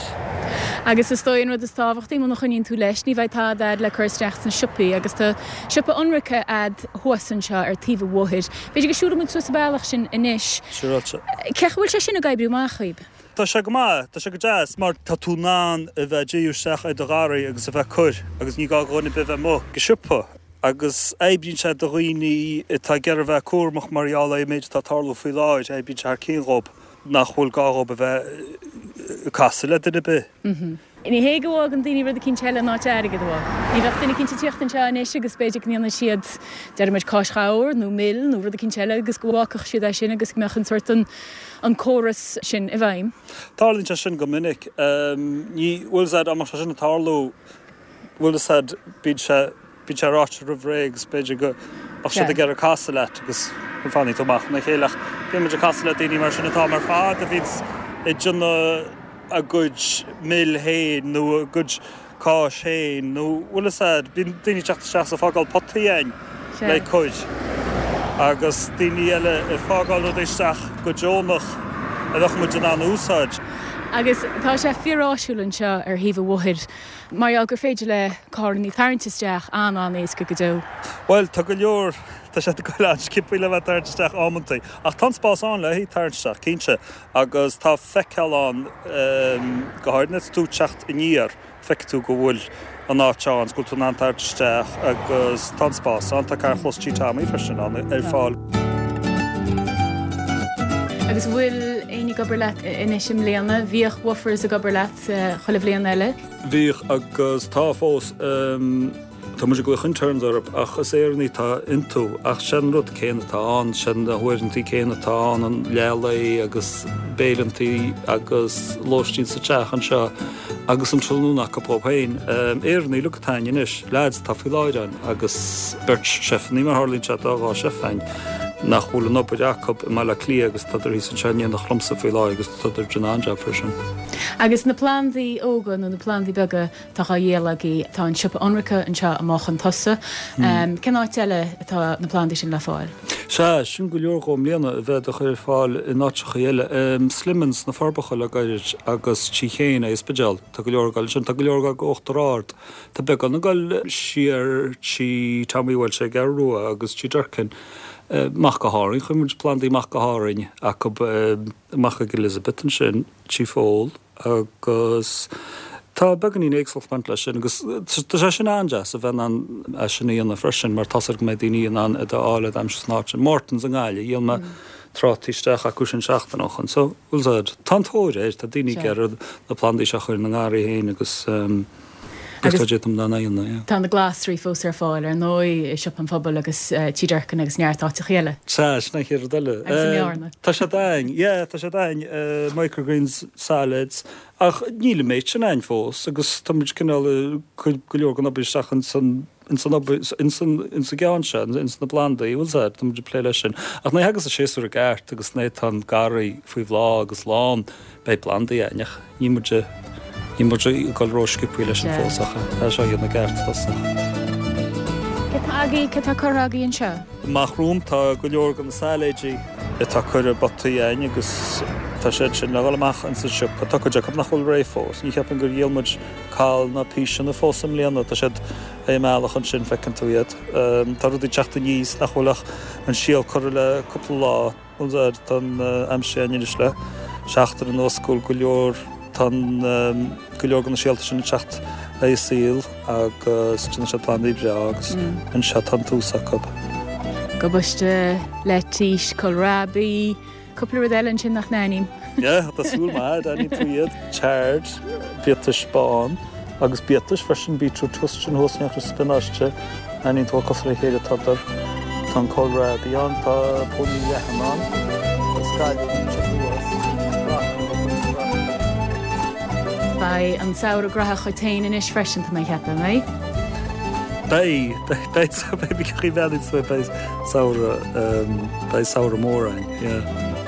Agus is dóigh an rud is tábhachtaí, muna choinníonn tú leis, ní bheidh tada a'd le cur isteach sna siopaí agus tá siopa ionraice a'd thuas anseo ar taobh an bhóthair. B'fhéidir go siúlfaidh muid suas an bealach sin anois. Siúráilte. Cén chaoi a bhfuil sé sin ag oibriú amach dhaoib? Tá sé go maith, tá sé go deas mar tá tú in ann a bheith ag díriú isteach ar do gharraí agus a bheith ag cur agus ní gá do dhuine ar bith bheith amuigh ag an siopa agus oibríonn sé do dhaoine atá ag iarraidh a bheith cúramach mar gheall ar an méid atá ag tarlú faoi láthair, oibríonn sé thar cionn dhóibh nach bhfuil gá dhóibh a bheith ag casadh le duine ar bith. Ní hé go bhfágann daoine rud eicínt eile in áit airgead a fhágáil. Ní bheadh duine eicínt ag tíocht anseo anois agus b'fhéidir go ndéanfaidh siad, déarfaidh muid, cáis ghabhair nó mil nó rud eicínt eile agus go bhfágfadh siad é sin agus go mbeadh an sórt an, an córas sin i bhfeidhm. Tarlaíonn sé sin go minic. Ní, bhfuil 'fhios a'd, dá mbeadh sé sin ag tarlú, bhfuil 'fhios a'd, bíonn sé, bíonn sé ráite roimh ré agus b'fhéidir go mbeadh siad ag iarraidh casadh leat agus fanfaidh tú amach óna chéile ach bíonn muid ag casadh le daoine mar sin an t-am ar fad a bhíonns ag déanamh a gcuid mil féin nó a gcuid cáis féin nó bhfuil 'fhios a'd, bíonn daoine ag teacht isteach is ag fágáil potaí a'inn le cur agus daoine eile ag fágáil rudaí isteach go deonach a bheadh muid in ann a úsáid. Agus tá sé fíoráisiúil anseo ar thaobh an bhóthair mar gheall gur féidir le carrannaí tarraingt isteach an-an-éasca go deo. Bhuel, tá go leor, tá sé ag goil an-sciobthaí le bheith ag tarraingt isteach amantaí ach tá an spás ann le haghaidh tarraingt isteach, cinnte. Agus tá feiceáil ann, go háirid nuair atá tú ag teacht aniar, feicfidh tú go bhfuil an áit ann, go bhfuil tú in ann tarraingt isteach agus tá an spás ann. Tá carrchlós Tí Tommy freisin ann ar fáil. Agus an bhfuil éinne ag obair leat anois i mbliana? Bhíodh Woofers ag obair leat chuile bhliain eile? Bhíodh agus tá fós. Tá muid ag glaoch interns orthu ach is Éireannaigh atá iontu ach sé'n rud céanna atá ann, sé'n na huaireantaí céanna atá ann, an leath lae agus béileantaí agus lóistín sa teach anseo agus an tráthnóna acu dhóibh féin. Éireannaigh uilig atá a'inn anois, leaids atá faoi láthair ann agus beirt cheifannaí mar tharlaíonn sé tá dhá chef a'inn nach bhfuil an obair acu i mBaile Átha Cliath agus tádar thíos anseo in éineacht liomsa faoi láthair agus tádar ag déanamh an-jab freisin. Agus na plandaí óga nó na plandaí beaga Tá dhá dhíol agaibh. Tá an siopa ionraice anseo amach chun tosaigh. Cén áit eile atá na plandaí sin le fáil? Sea, sin go leor dhó i mbliana a bheith á chur ar fáil in áiteachaí eile. Slimmans sna Forbacha le gairid agus Tí Chéin ag an Spidéal. Tá go leor ag dul ansin. Tá go leor ag dul go Uachtar Ard. Tá beagán ag dul siar tí Tommy Walsh ar an gCeathrú Rua agus tí Durkin. Amach go hÁrainn. Chuir muid plandaí amach go hÁrainn acu amach ag Elizabeth ansin, tí Phól. Agus tá beagáinín éagsúlacht ag baint leis sin agus tá sé sin an-deas a bheith in ann é sin a dhéanamh freisin mar tá's agat go mbeidh daoine in ann iad a fháil iad aimsir san áit sin. Mortons i nGaillimh, dhíol mé trátaí isteach acu sin seachtain ó shoin. So, bhfuil 's a'd, tá an tóir air, tá daoine ag iarraidh na plandaí seo a chur ina ngarraí féin agus. Agus tá siad in ann a dhéanamh, yeah. Tá na glasraí fós ar fáil ar ndóigh i Siopa an Phobail agus Tí Durkin agus neart áiteacha eile. Sea, sin an chéad rud eile. Agus i mBearna. Tá siad ann, yeah, tá siad ann, microgreens, salads, ach níl an méid sin ann fós agus tá muid cineál ag cur go leor den obair isteach ins an ins an obair ins an ins an gceann seo, ins na plandaí, bhfuil 's a'd, tá muid ag plé leis sin. Ach nuair a thagas an séasúr i gceart agus nuair atá an garraí faoi bhláth agus lán, beidh plandaí ann ach níl muid níl muid ag dul rósciobtha leis sin fós ach tá seo a dhéanamh i gceart i dtosach. Cé tá agaibh, cé tá curtha agaibh anseo? Amach romham tá go leor de na sailéidí atá curtha i bpotaí againn agus tá siad sin le dhul amach ins an siopa. Tá cuid acu nach bhfuil réidh fós. Ní cheapaim gur dhíol muid cál ná píseanna fós i mbliana. Tá siad ar an mbealach ansin, feiceann tú iad. Tá rudaí ag teacht aníos nach bhfuil ach an síol curtha le cúpla lá. Bhuel, tá an aimsir againn anois le seachtain anuas go bhfuil go leor, tá go leor de na síolta sin ag teacht le saol agus déanann siad plandaí breá agus anseo tá an tús acu. Gabaiste, leitís, kohlrabi, cúpla rud eile ansin nach n-aithním. Yeah, tá súil maith, aithníonn tú iad. Chard, biatais bán agus biatais freisin, beetroot thuas ansin thuas neachtar spionáiste, aithníonn tú cosúil le chéile tádar. Tá an kohlrabi ann, tá pónairí leathan ann, tá scailliún anseo thuas, broccoli agus broccoli. Beidh an samhradh graitheach dhuit féin anois freisin, tá mé ag ceapadh, an mbeidh? Beidh, beidh, beidh, beidh, beidh, beidh samhradh, beidh samhradh mór ann, yeah.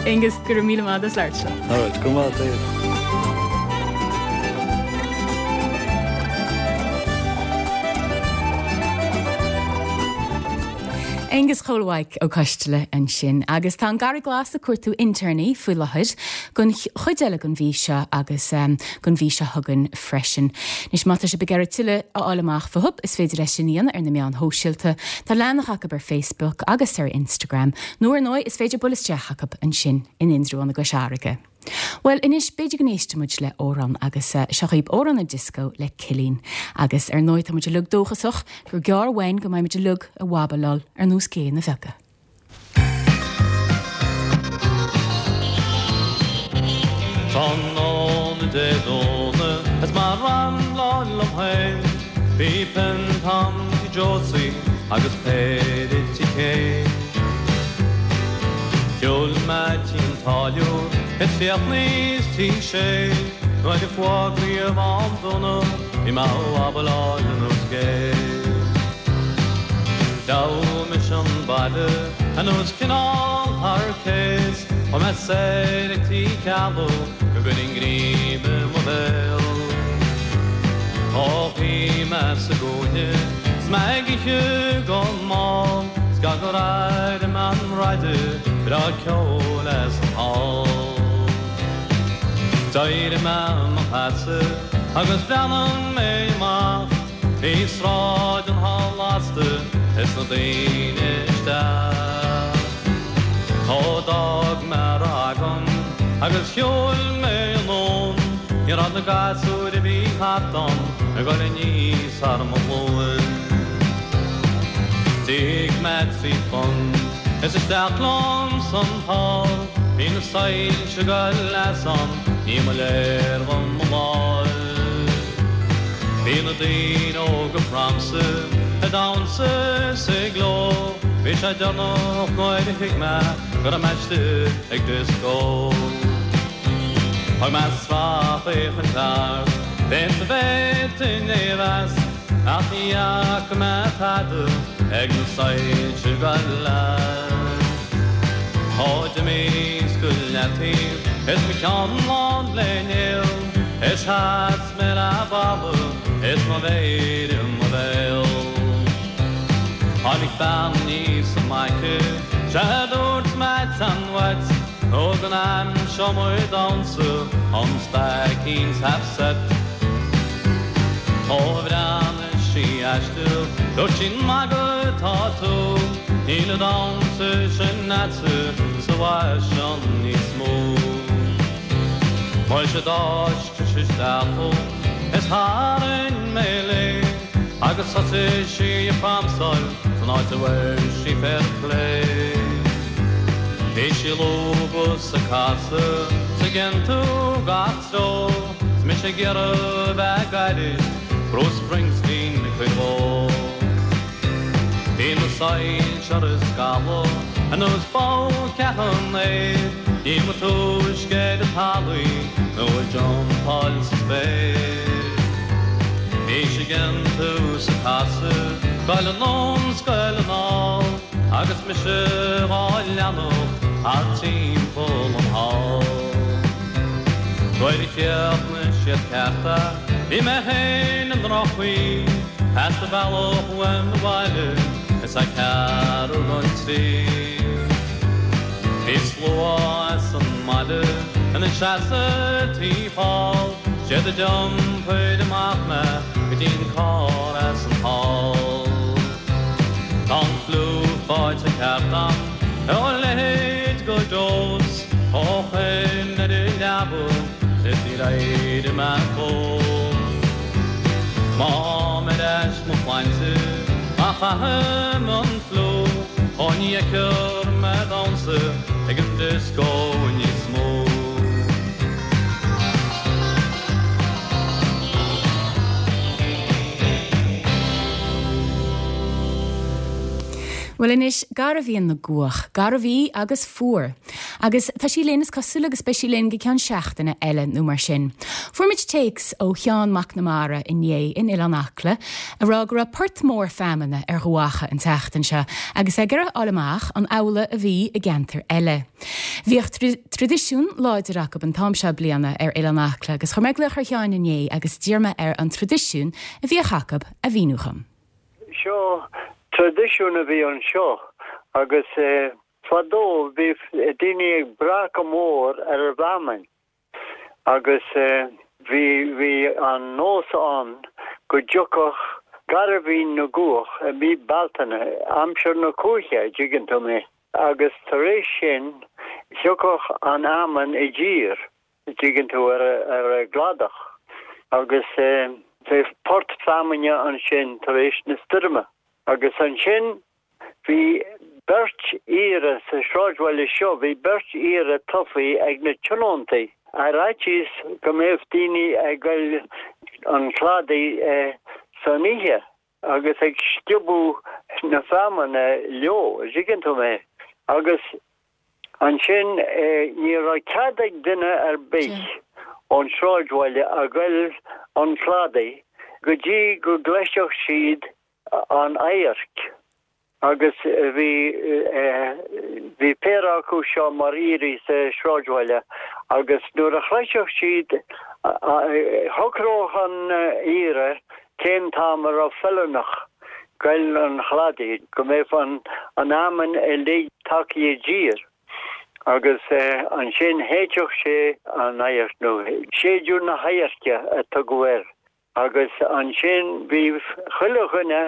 Aonghus, go raibh míle maith as labhairt liom. All right, go raibh maith agat. Aonghus Chóil Mhaidhc Ó Coisteala ansin, agus tá an Garraí Glas ag cuartú intéirní faoi láthair don chuid eile den mhí seo agus don mhí seo chugainn freisin. Anois má tá sibh ag iarraidh tuilleadh a fháil amach fúthu, is féidir é sin a dhéanamh ar na meáin shóisialta. Tá leathanach acu ar Facebook agus ar Instagram, nó ar ndóigh is féidir bualadh isteach acu ansin in Indreabhán i gCois Fharraige. Bhuel, anois, b'fhéidir go n-éistfidh muid le amhrán agus seo dhaoibh amhrán an Disco le Cillín. Agus ar ndóigh tá muid uilig dóchasach gur gearr uainn go mbeidh muid uilig ag wabaláil ar nós géanna bheaga. Tráthnóna Dé Domhnaigh is mé ag rambláil liom féin, Bhí pionta a'm Tigh Josie agus péire Tigh Kane. Shiúil mé tí an táilliúir is chríochnaíos Tigh Shé, Nuair a fuagraíodh am dúnadh bhí mé a' wabaláil ar nós gé. Ghabh mise an baile ar nós cineál thar cés, Chuaigh mé soir ag Tigh Ceallaigh go gcuirfinn greim i mo bhéal. Ó shuigh mé sa gcúinne 's mé ag ithe go mall, 's gan gur airigh mé an raidió breá ceoil as an hall. D'éirigh mé i mo sheasamh agus bhreathnaigh mé amach, bhí sráid an hall lasta is na daoine isteach. Ó d'fhág mé a raibh agam agus shiúil mé anonn, ní raibh na gasúir a bhí thart ann ag dul aníos thar mo ghlúin. D'íoc mé trí phunt is isteach liom san hall, bhí na soilse ag goil as ann, ní ba léir dhom mo dháil. Bhí na daoine óga ag pramsa, ag damhsa is ag gleo, bhí sé deireanach nuair a thuig mé go raibh mé istigh ag dioscó. Thug mé sracfhéachaint thart, b'fhéidir go bhféadfainn é a mheas, ach ní fhaca mé tada ag na soilse ag goil as. Ó d'imíos go leataobh is mo cheann lán le néal, is sheas mé le balla is mo mhéar i mo bhéal. Tháinig bean aníos an mic, sea dúirt mé téann uait, nó go n-aimseoidh muid damhsa an Staicín 's half set. Ó bhreathnaigh sí aisteach, dúirt sí an ag magadh atá tú, níl an damhsa sin a'dsa sa bhfaisean níos mó. Muise d'fháisc sí isteach chugam is tharraing mé léi, agus thosaigh sí ag pramsáil san áit a bhfuair sí fair play. Bhí sí ag lúbadh 's ag casadh 's ag iontú gach treo, 's mise ag iarraidh a bheith gairid Bruce Springsteen cuid mhó. Bhí na soilse ar scaladh ar nós bó ceatha an aeir, ní ba túisce ar an talamh nó ag jumpáil sa spéir. Bhí sé ag tús ag casadh, goil anonn 's goil anall, agus mise dhá leanacht thart timpeall an hall. Nuair a chríochnaigh siad ceart é, bhí mé féin i ndroch-chaoi, theastaigh bealach uaim abhaile is é ceathrú don trí. Bhí slua as an mbaile ina seasamh taobh thall, siad a d'iompair amach mé go dtí'n carr as an hall. Tá an fliú faighte ceart a'm ar a leithéid go deo 's ó shin ar an leaba is níor éirigh mé fós. Má tháim ar ais mo shláinte má chaithim an fliú ó ní fheicfear mé ag damhsa ag an dioscó níos mó. Bhuel anois, Gairbhíon na gCuach, garbh í agus fuar. Agus tá sí linn is cosúil agus beidh sí linn go ceann seachtaine eile nó mar sin. Fuair muid téacs ó Sheán Mac Namara inné in Oileán Acla ag rá go raibh port mór feamainne ar Dhumhach an tseachtain seo agus é ag iarraidh a fháil amach an amhlaidh a bhí i gceantair eile. Bhíodh traidisiún láidir acu an t-am seo bliana ar Oileán Acla agus chuir mé glaoch ar Sheán inné agus d'iarr mé air an traidisiún a bhíodh acu a mhíniú dhom. Seo traidisiún a bhí anseo agus fadó bhí daoine ag brath go mór ar an bhfeamainn agus bhí bhí an nós ann go dtiocfadh Gairbhín na gCuach i mí Bealtaine, aimsir na cuaiche, an dtuigeann tú mé, agus tar éis sin thiocfadh an fheamainn i dtír, an dtuigeann tú, ar ar an gcladach agus bheadh port feamainne ansin tar éis na stoirme. Agus ansin bhí beirt aoire sa sráidbhaile seo, bhí beirt aoire tofa ag na tionóntaí ar fhaitíos go mbeadh daoine ag goil an chladaigh san oíche agus ag sciobadh na feamainne leo, an dtuigeann tú mé. Agus ansin ní raibh cead ag duine ar bith ón sráidbhaile a ghoil an chladaigh go dtí go gcloisfeadh siad an adharc agus bhí bhí péire acu seo mar aoirí sa sráidbhaile agus nuair a chloisfeadh siad shocródh an aoire cén t-am a raibh feiliúnach goil an chladaigh go mbeadh an an fheamainn uilig tagtha i dtír agus ansin shéidfeadh sé an adharc nó séideadh na hadhairce a tugadh air. Agus ansin bhí chuile dhuine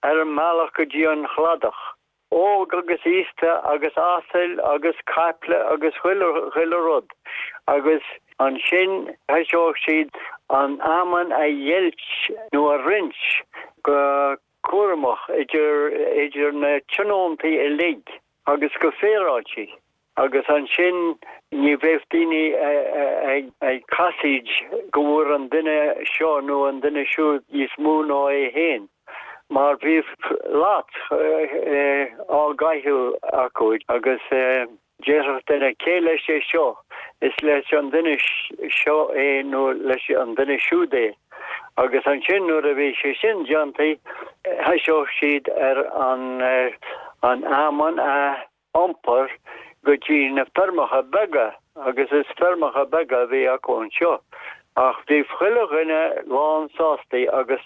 ar an mbealach go dtí an chladach, óg agus aosta agus asail agus caiple agus chuile, chuile rud. Agus ansin thoiseodh siad an fheamainn a dheighilt nó a roinnt go cúramach idir, idir na tionóntaí uilig agus go féaráilte. Agus ansin ní bheadh daoine ag casaoid go bhfuair an duine seo nó an duine siúd níos mó ná é féin, mar bhíodh lots á gcaitheamh acu agus déarfadh duine cé leis é seo, is leis an duine seo é nó leis an duine siúd é. Agus ansin nuair a bhí sé sin déanta thoiseodh siad ar an fheamainn a iompar go dtí na feirmeacha beaga agus is feirmeacha beaga a bhí acu anseo. Ach bhí chuile dhuine lán sásta agus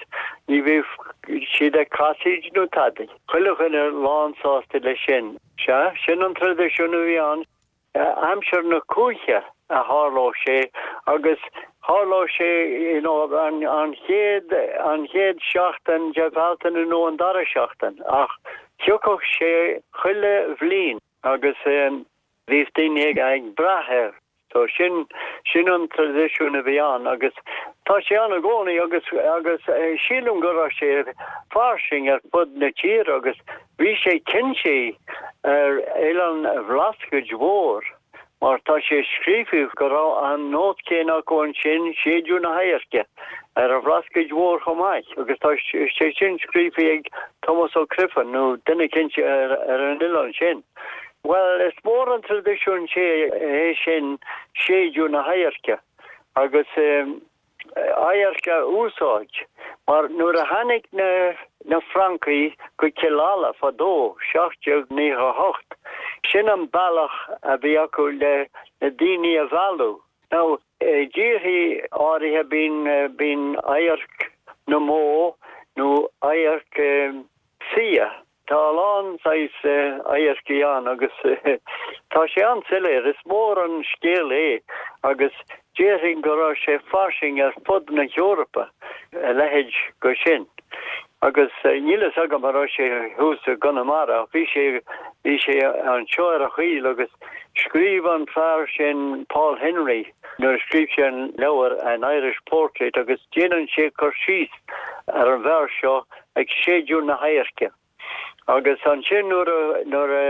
ní bhíodh siad ag casaoid nó tada. Chuile dhuine lán sásta leis sin. Sea, sin an traidisiún a bhí ann. Aimsir na cuaiche a tharlódh sé agus tharlódh sé you know an an chéad an chéad seachtain de Bhealtaine nó an dara seachtain ach thiocfadh sé chuile bhliain agus bhíodh daoine ag ag brath air. So sin sin an traidisiún a bhí ann agus tá sé ann i gcónaí agus agus sílim go raibh sé fairsing ar fud na tíre agus bhí sé cinnte ar Oileán Bhlascaoid Mhóir Mar tá sé scríofa go raibh an nós céanna acu ansin, séideadh na hadhairce ar an Bhlascaoid Mhór chomh maith, agus tá sé sin scríofa ag Tomás Ó Criomhthain nó duine eicínt ar an oileán sin. Bhuel, is mór an traidisiún sé é sin, séideadh na hadhairce, agus adharc a úsáid, mar nuair a tháinig na na Francaigh go Cill Ala fadó, seacht déag naocha a hocht, sin an bealach a bhí acu le na daoine a mhealladh. Now, i dtíorthaí áirithe bíonn bíonn adharc na mbó nó adharc fia. Tá a lán saghas adharcaí ann agus tá sé an-soiléir, is mór an scéal é agus déarfainn go raibh sé fairsing ar fud na hEorpa, a leithéid go sin. Agus níl fhios agam an raibh sé thuas i gConamara ach bhí sé bhí sé anseo ar an choill agus scríobh an fear sin Paul Henry nuair a scríobh sé an leabhar An Irish Portrait agus déanann sé cur síos ar an bhfear seo ag séideadh na hadhairce. Agus ansin nuair a, nuair a,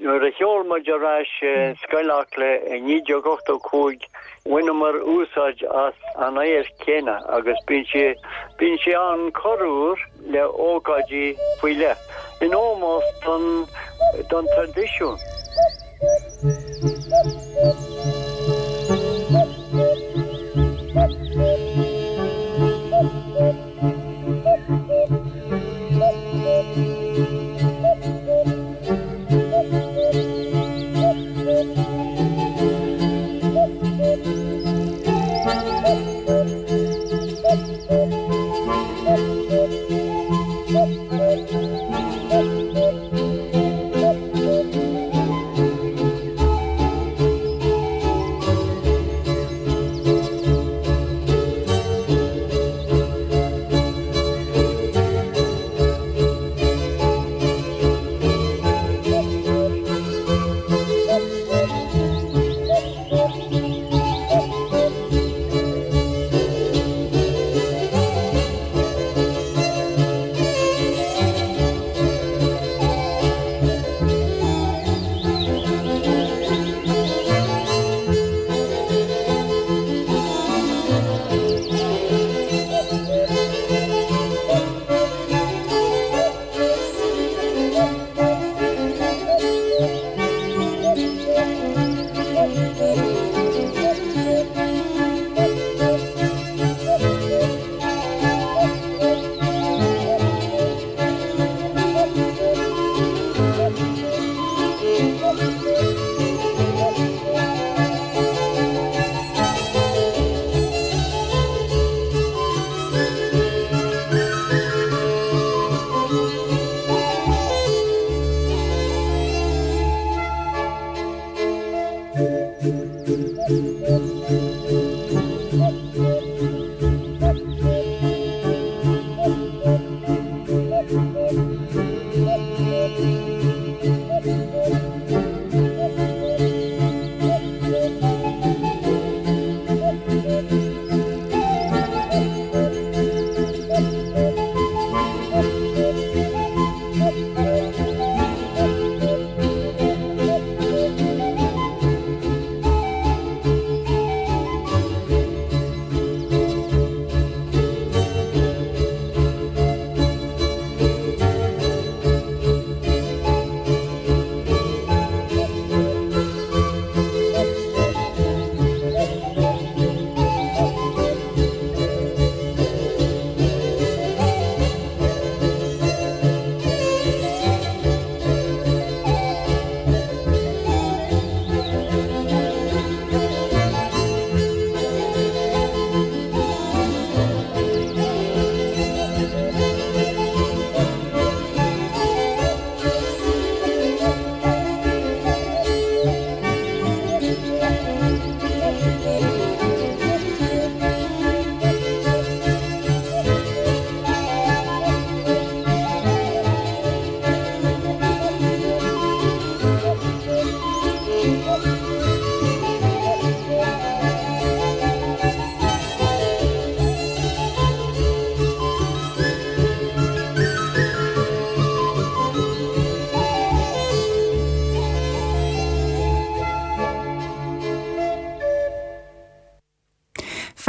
nuair a sheol muid ar ais Scoil Acla i naoi déag ochtó cúig, bhaineamar úsáid as an adharc chéanna agus bíonn sé, bíonn sé ann corruair le ócáidí faoi leith, in ómós don, don traidisiún.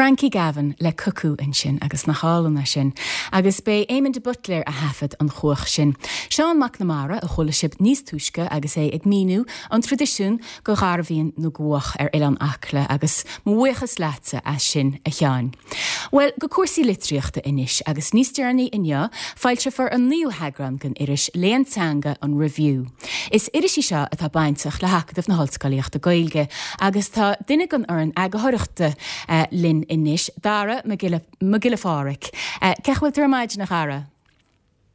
Frankie Gavin le Cuckoo ansin agus nach álainn é sin. Agus b'é Éamon de Buitléar a thaifead an chuach sin. Seán Mac Namara a chuala sibh níos túisce agus é ag míniú an traidisiún go garbhaíonn na gcuach ar Oileán Acla agus mo bhuíochas leatsa as sin a Sheáin. Well, go cúrsaí litríochta anois agus níos deireanaí inniu foilseofar an naoú heagrán den iris Léann Teanga an Review. Is iris í seo atá bainteach le hAcadamh na hOllscolaíochta Gaeilge agus tá duine den fhoireann eagarthóireachta eh, linn anois, Dara Mac Giolla Mac Giolla Phádraig. Eh, Cén chaoi a bhfuil tú ar maidin a Dhara?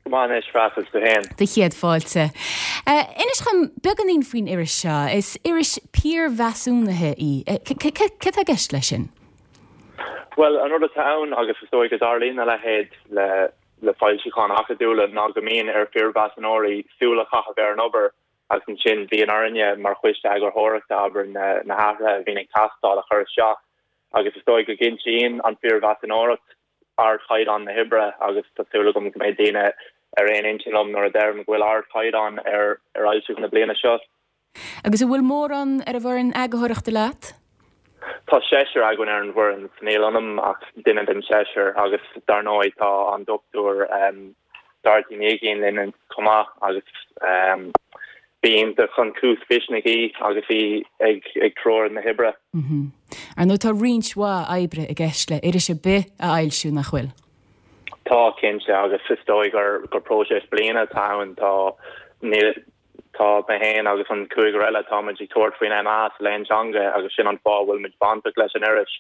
Go maith anois Freastal tú féin. Do chéad fáilte. Uh, Inis dom beagáinín faoin iris seo, is iris piarmheasúnaithe í. Uh, Cad tá i gceist leis sin? Well, an rud atá ann agus is dóigh go dtarlaíonn a leithéid le le foilseacháin acadúla ná go mbíonn ar phiarmheasúnóirí súil a chaitheamh ar an obair agus ansin bíonn orainne mar choiste eagarthóireachta abair na na hathruithe a bhíonn ag teastáil a chur isteach agus is dóigh go gcinntíonn an phiarmheasúnóireacht ardchaighdeán na hoibre agus tá súil agam go mbeidh daoine ar aon intinn liom nuair a deirim go bhfuil ardchaighdeán ar ar fhoilsiú na bliana seo. Agus an bhfuil mórán ar an bhfoireann eagarthóireachta leat? Tá seisear againn ar an bhfoireann níl ionam ach duine den seisear agus dar ndóigh tá an dochtúir um, Dorothy Ní Uiginn linn chomh maith agus um, bíonn chun cús mhisnigh í agus í ag ag treorú na hoibre. Mm -hmm. Ar ndóigh tá roinnt mhaith oibre i gceist le iris ar bith a fhoilsiú nach bhfuil. Tá cinnte agus is dóigh gur gur próiseas bliana atá ann tá ní tá mé féin agus an cúigear eile táimid ag tabhairt faoin MA sa léann teanga agus sin an fáth bhfuil muid bainteach leis an iris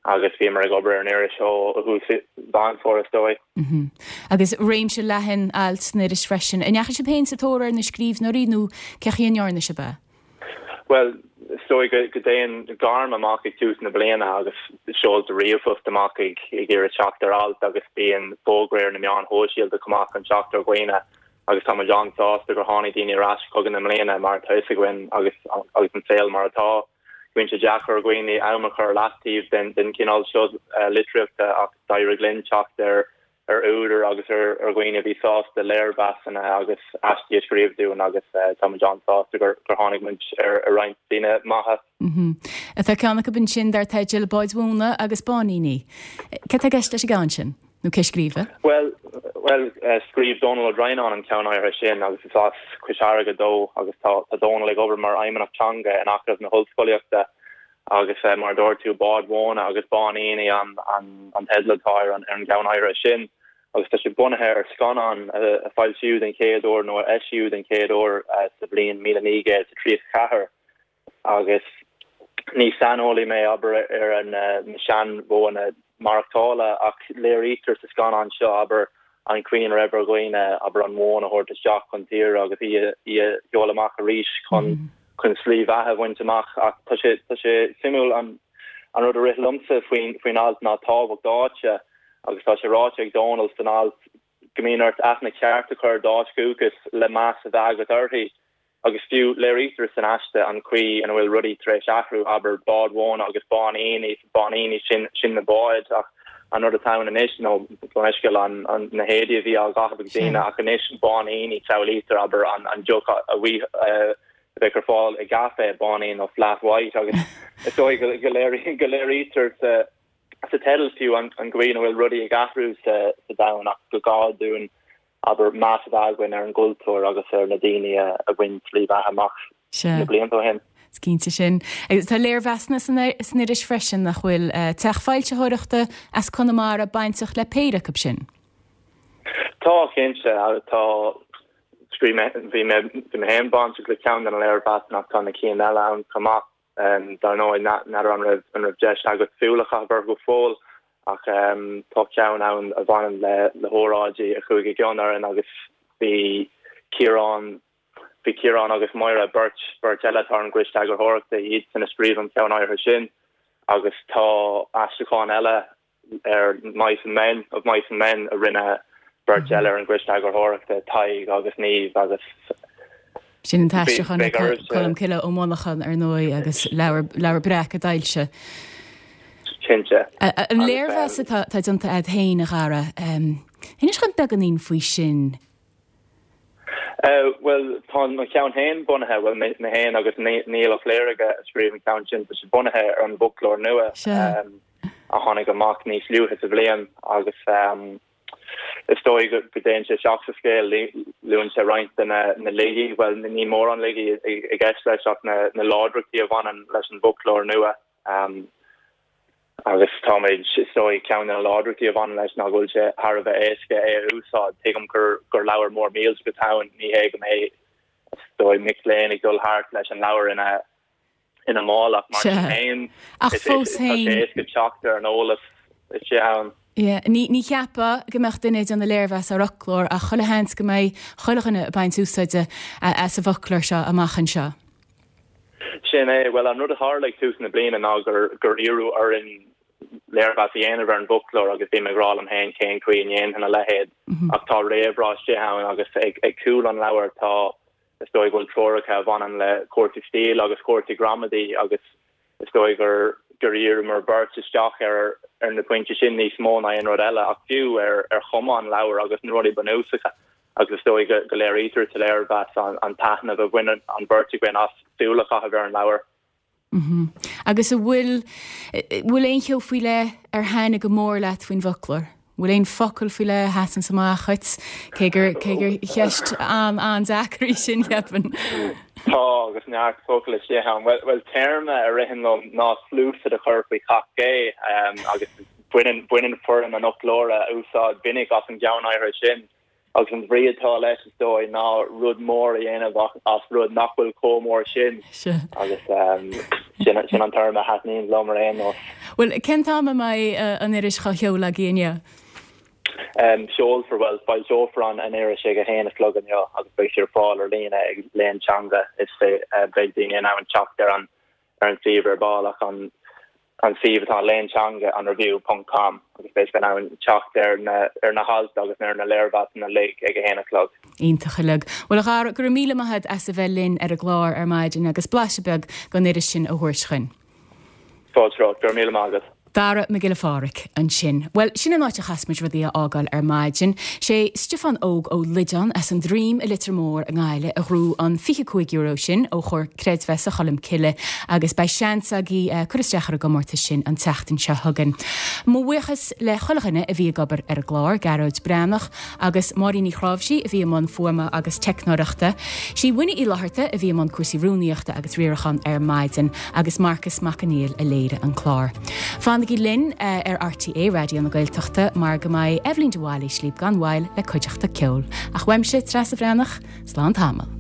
agus bhíomar ag obair ar an iris ó thús Mheán Fómhair is dóigh. Mm -hmm. Agus réimse leathan alt san iris freisin. An ndeachaigh sibh féin sa tóir ar na scríbhneoirí nó cén chaoi a ndearna sibh é? Well, is dóigh go go dtéann gairm amach ag tús na bliana agus seoltar ríomhphost amach ag ag iarraidh teacht ar alt agus bíonn fógra ar na meáin shóisialta chomh maith chun teacht ar dhaoine agus tá muid an-sásta gur tháinig daoine ar ais chugainn i mbliana mar tá a fhios againn agus agus an saol mar atá. Bíonn sé deacair ar dhaoine am a chur leataobh den den cineál seo uh, litríochta ach d'éirigh linn teacht ar ar údair agus ar ar dhaoine a bhí sásta léirmheasanna agus aistí a scríobh dúinn agus uh, tá muid an-sásta gur gur tháinig muid ar ar roinnt daoine maithe. Mm -hmm. Tá ceann acu ansin dar teideal Báid Mhóna agus Báiníní. Cad tá i gceist leis an gceann sin? Nó cé a scríobh é? Well well uh, scríobh Dónal Ó Droighneáin an ceann áirithe sin agus is as Cois Fharraige dó agus tá tá Dónal ag obair mar fheidhmeannach teanga in Acadamh na hOllscolaíochta agus uh, mar dúirt tú báid mhóna agus báiníní an an an teideal atá ar an ar an gceann áirithe sin agus tá sé bunaithe ar scannán uh, a foilsíodh den chéad uair nó a eisíodh den chéad uair uh, sa bhliain míle naoi gcéad sa tríocha ceathair agus ní saineolaí mé abair ar an uh, na seanmhodhanna maireachtála ach léirítear sa scannán seo abair an chaoi a raibh ar dhaoine abair an mhóin a thabhairt isteach chun tíre agus í í a sheoladh amach arís chun mm. chun slí bheatha a bhaint amach ach tá sé tá sé suimiúil an an rud a rith liomsa faoin faoin alt ná tábhacht áite agus tá sé ráite ag Dónal san alt go mbíonn ort aithne cheart a chur ar d'áit dhúchais le meas a bheith agat uirthi agus fiú léirítear san aiste an chaoi ina bhfuil rudaí tar éis athrú abair báid mhóna agus báiníní báiníní sin sin na báid ach an rud atá anois nó leisceil an an na héadaí a bhí á gcaitheamh ag daoine ach anois báiníní samhlaítear abair an an deoch a bhí bheith ar fáil i gcaife báinín nó flat white agus is dóigh go go léirí go léirítear sa sa teideal fiú an an chaoi ina bhfuil rudaí ag athrú sa sa domhan ach go gá dúinn abair meas a bheith againn ar an gcultúr agus ar na daoine a a bhain slí bheatha amach na blianta ó shin. Is cinnte sin. Agus tá léirmheasanna san san iris freisin nach bhfuil uh, teach foilsitheoireachta as Conamara bainteach le péire acu sin. Tá cinnte tá scríobh mé bhí mé bhí mé féin bainteach le ceann den léirmheas ach tá na cinn eile ann chomh maith um, dar ndóigh n'fheadar an raibh an raibh deis agat súil a chaitheamh go fóill ach um, tá ceann ann a bhaineann le le hóráidí a chuaigh i gcion orainn agus bhí Ciarán bhí Ciarán agus Máire beirt beirt eile atá ar an gcoiste eagarthóireachta iad san a scríobh an ceann áirithe sin agus tá aistriúchán eile ar Mice and Men of Mice and Men a rinne beirt eile ar an gcoiste eagarthóireachta Tadhg agus Niamh agus Sin an t-aistriúchán Colm Cille Ó Monacháin ar ndóigh agus leabhar leabhar breac a d'fhoilsigh. Cinnte. An léirmheas atá déanta agat féin a Dhara. Inis dom beagáinín faoi sin. Uh, well tá mo cheann féin bunaithe well mé féin agus Niall Ó Fléirge a scríobh an ceann sin tá sé bunaithe ar an bhfoclóir nua. Um, a tháinig amach níos luaithe sa bhliain agus is dóigh go dtéann sé isteach sa scéal, luann sé roinnt de na laigí, bhuel ní mórán laigí i gceist leis ach na láidreachtaí a bhaineann leis an bhfoclóir nua. Agus táimid, is dóigh, ceann de na láidreachtaí a bhaineann leis ná go bhfuil sé thar a bheith éasca é a úsáid. Tuigim gur gur leabhar mór millteach atá ann, ní hé go mbeidh, is dóigh, mic léinn ag dul thart leis an leabhar ina ina mála ach mar sin féin, Ach fós tá sé féin. éasca teacht ar an eolas istigh ann. Yeah, ní ní cheapfá go mbeadh duine ag déanamh léirmheas ar fhoclóir ach chuile sheans go mbeidh chuile dhuine ag baint úsáide as an bhfoclóir seo amach anseo. Sin é, bhuel an rud a tharla ag tús na bliana ná gur gur iarradh orainn léirmheas a dhéanamh ar an bhfoclóir agus bhí mé ag rá liom féin cén chaoi a ndéanfainn a leithéid ach tá réamhrá istigh ann agus ag ag cúl an leabhair tá is dóigh go bhfuil treoracha a bhaineann le cúrsaí stíle agus cúrsaí gramadaí agus is dóigh gur gur dhíríomar beirt isteach ar ar na pointí sin níos mó ná aon rud eile ach fiú ar ar chuma an leabhair agus na rudaí bunúsacha agus is dóigh go go léirítear sa léirmheas an an taitneamh a bhain an bheirt againn as súil a chaitheamh ar an leabhar. Agus an bhfuil bhfuil aon cheo faoi leith ar thaitnigh go mór leat faoin bhfoclóir? Bhfuil aon focal faoi leith a sheasann amach dhuit cé gur cé gur cheist an an-deacair í sin cheapfainn. Tá agus neart focal istigh ann. Well, well téarma a ritheann liom ná sluasaid a chur faoi chac gé um, agus baineann baineann foireann an fhoclóra úsáid mhinic as an gceann áirithe sin. Agus an bhrí atá leis is dóigh ná rud mór a dhéanamh as rud nach bhfuil chomh mór sin. Agus um, sin sin an téarma a thaitníonn liom ar aon nós. Well, cén t-am a mbeidh uh, an iris á sheoladh agaibh inniu? Um, seolfar well foilseofar an an iris ag a haon a chlog inniu agus beidh sé ar fáil ar líne ag Léann Teanga is uh, beidh daoine in ann teacht ar an ar an suíomh ar ball ach an an suíomh atá Léann Teanga an review ponc com agus beidh siad in ann teacht ar na ar na hailt agus ar na léirmheasanna uilig ag a haon a chlog. Iontach uilig. Well a Dhara, go raibh míle maith agat as a bheith linn ar an gclár ar maidin agus blaiseadh beag den iris sin a thabhairt chugainn. Fáilte romhat, go raibh míle maith agat. Dara Mac Giolla Phádraig ansin. Well, sin an áit a chaithfimid rudaí a fhágáil ar maidin. Sé Stiofán Óg Ó Loideáin as an Droim i Leitir Móir i nGaillimh a ghnóthaigh an fiche cúig euro sin ó Chomhar Creidmheasa Cholm Cille agus beidh seans agaibh uh, cur isteach ar an gcomórtas sin an tseachtain seo chugainn. Mo bhuíochas le chuile dhuine a bhí ag obair ar an gclár, Gearóid Breathnach agus Máirín Ní Chráimhsí a bhí i mbun fuaime agus teicneoireachta. Sí Winnie Uí Fhlatharta a bhí i mbun cúrsaí rúnaíochta agus riaracháin ar maidin agus Marcus Mac Conghail a léirigh an clár. Fanaigí linn uh, ar RTÉ Raidió na Gaeltachta mar go mbeidh Eibhlín de Bhailís libh gan mhoill le cuideachta ceoil. Ach uaimse Treasa Bhreathnach, slán tamall.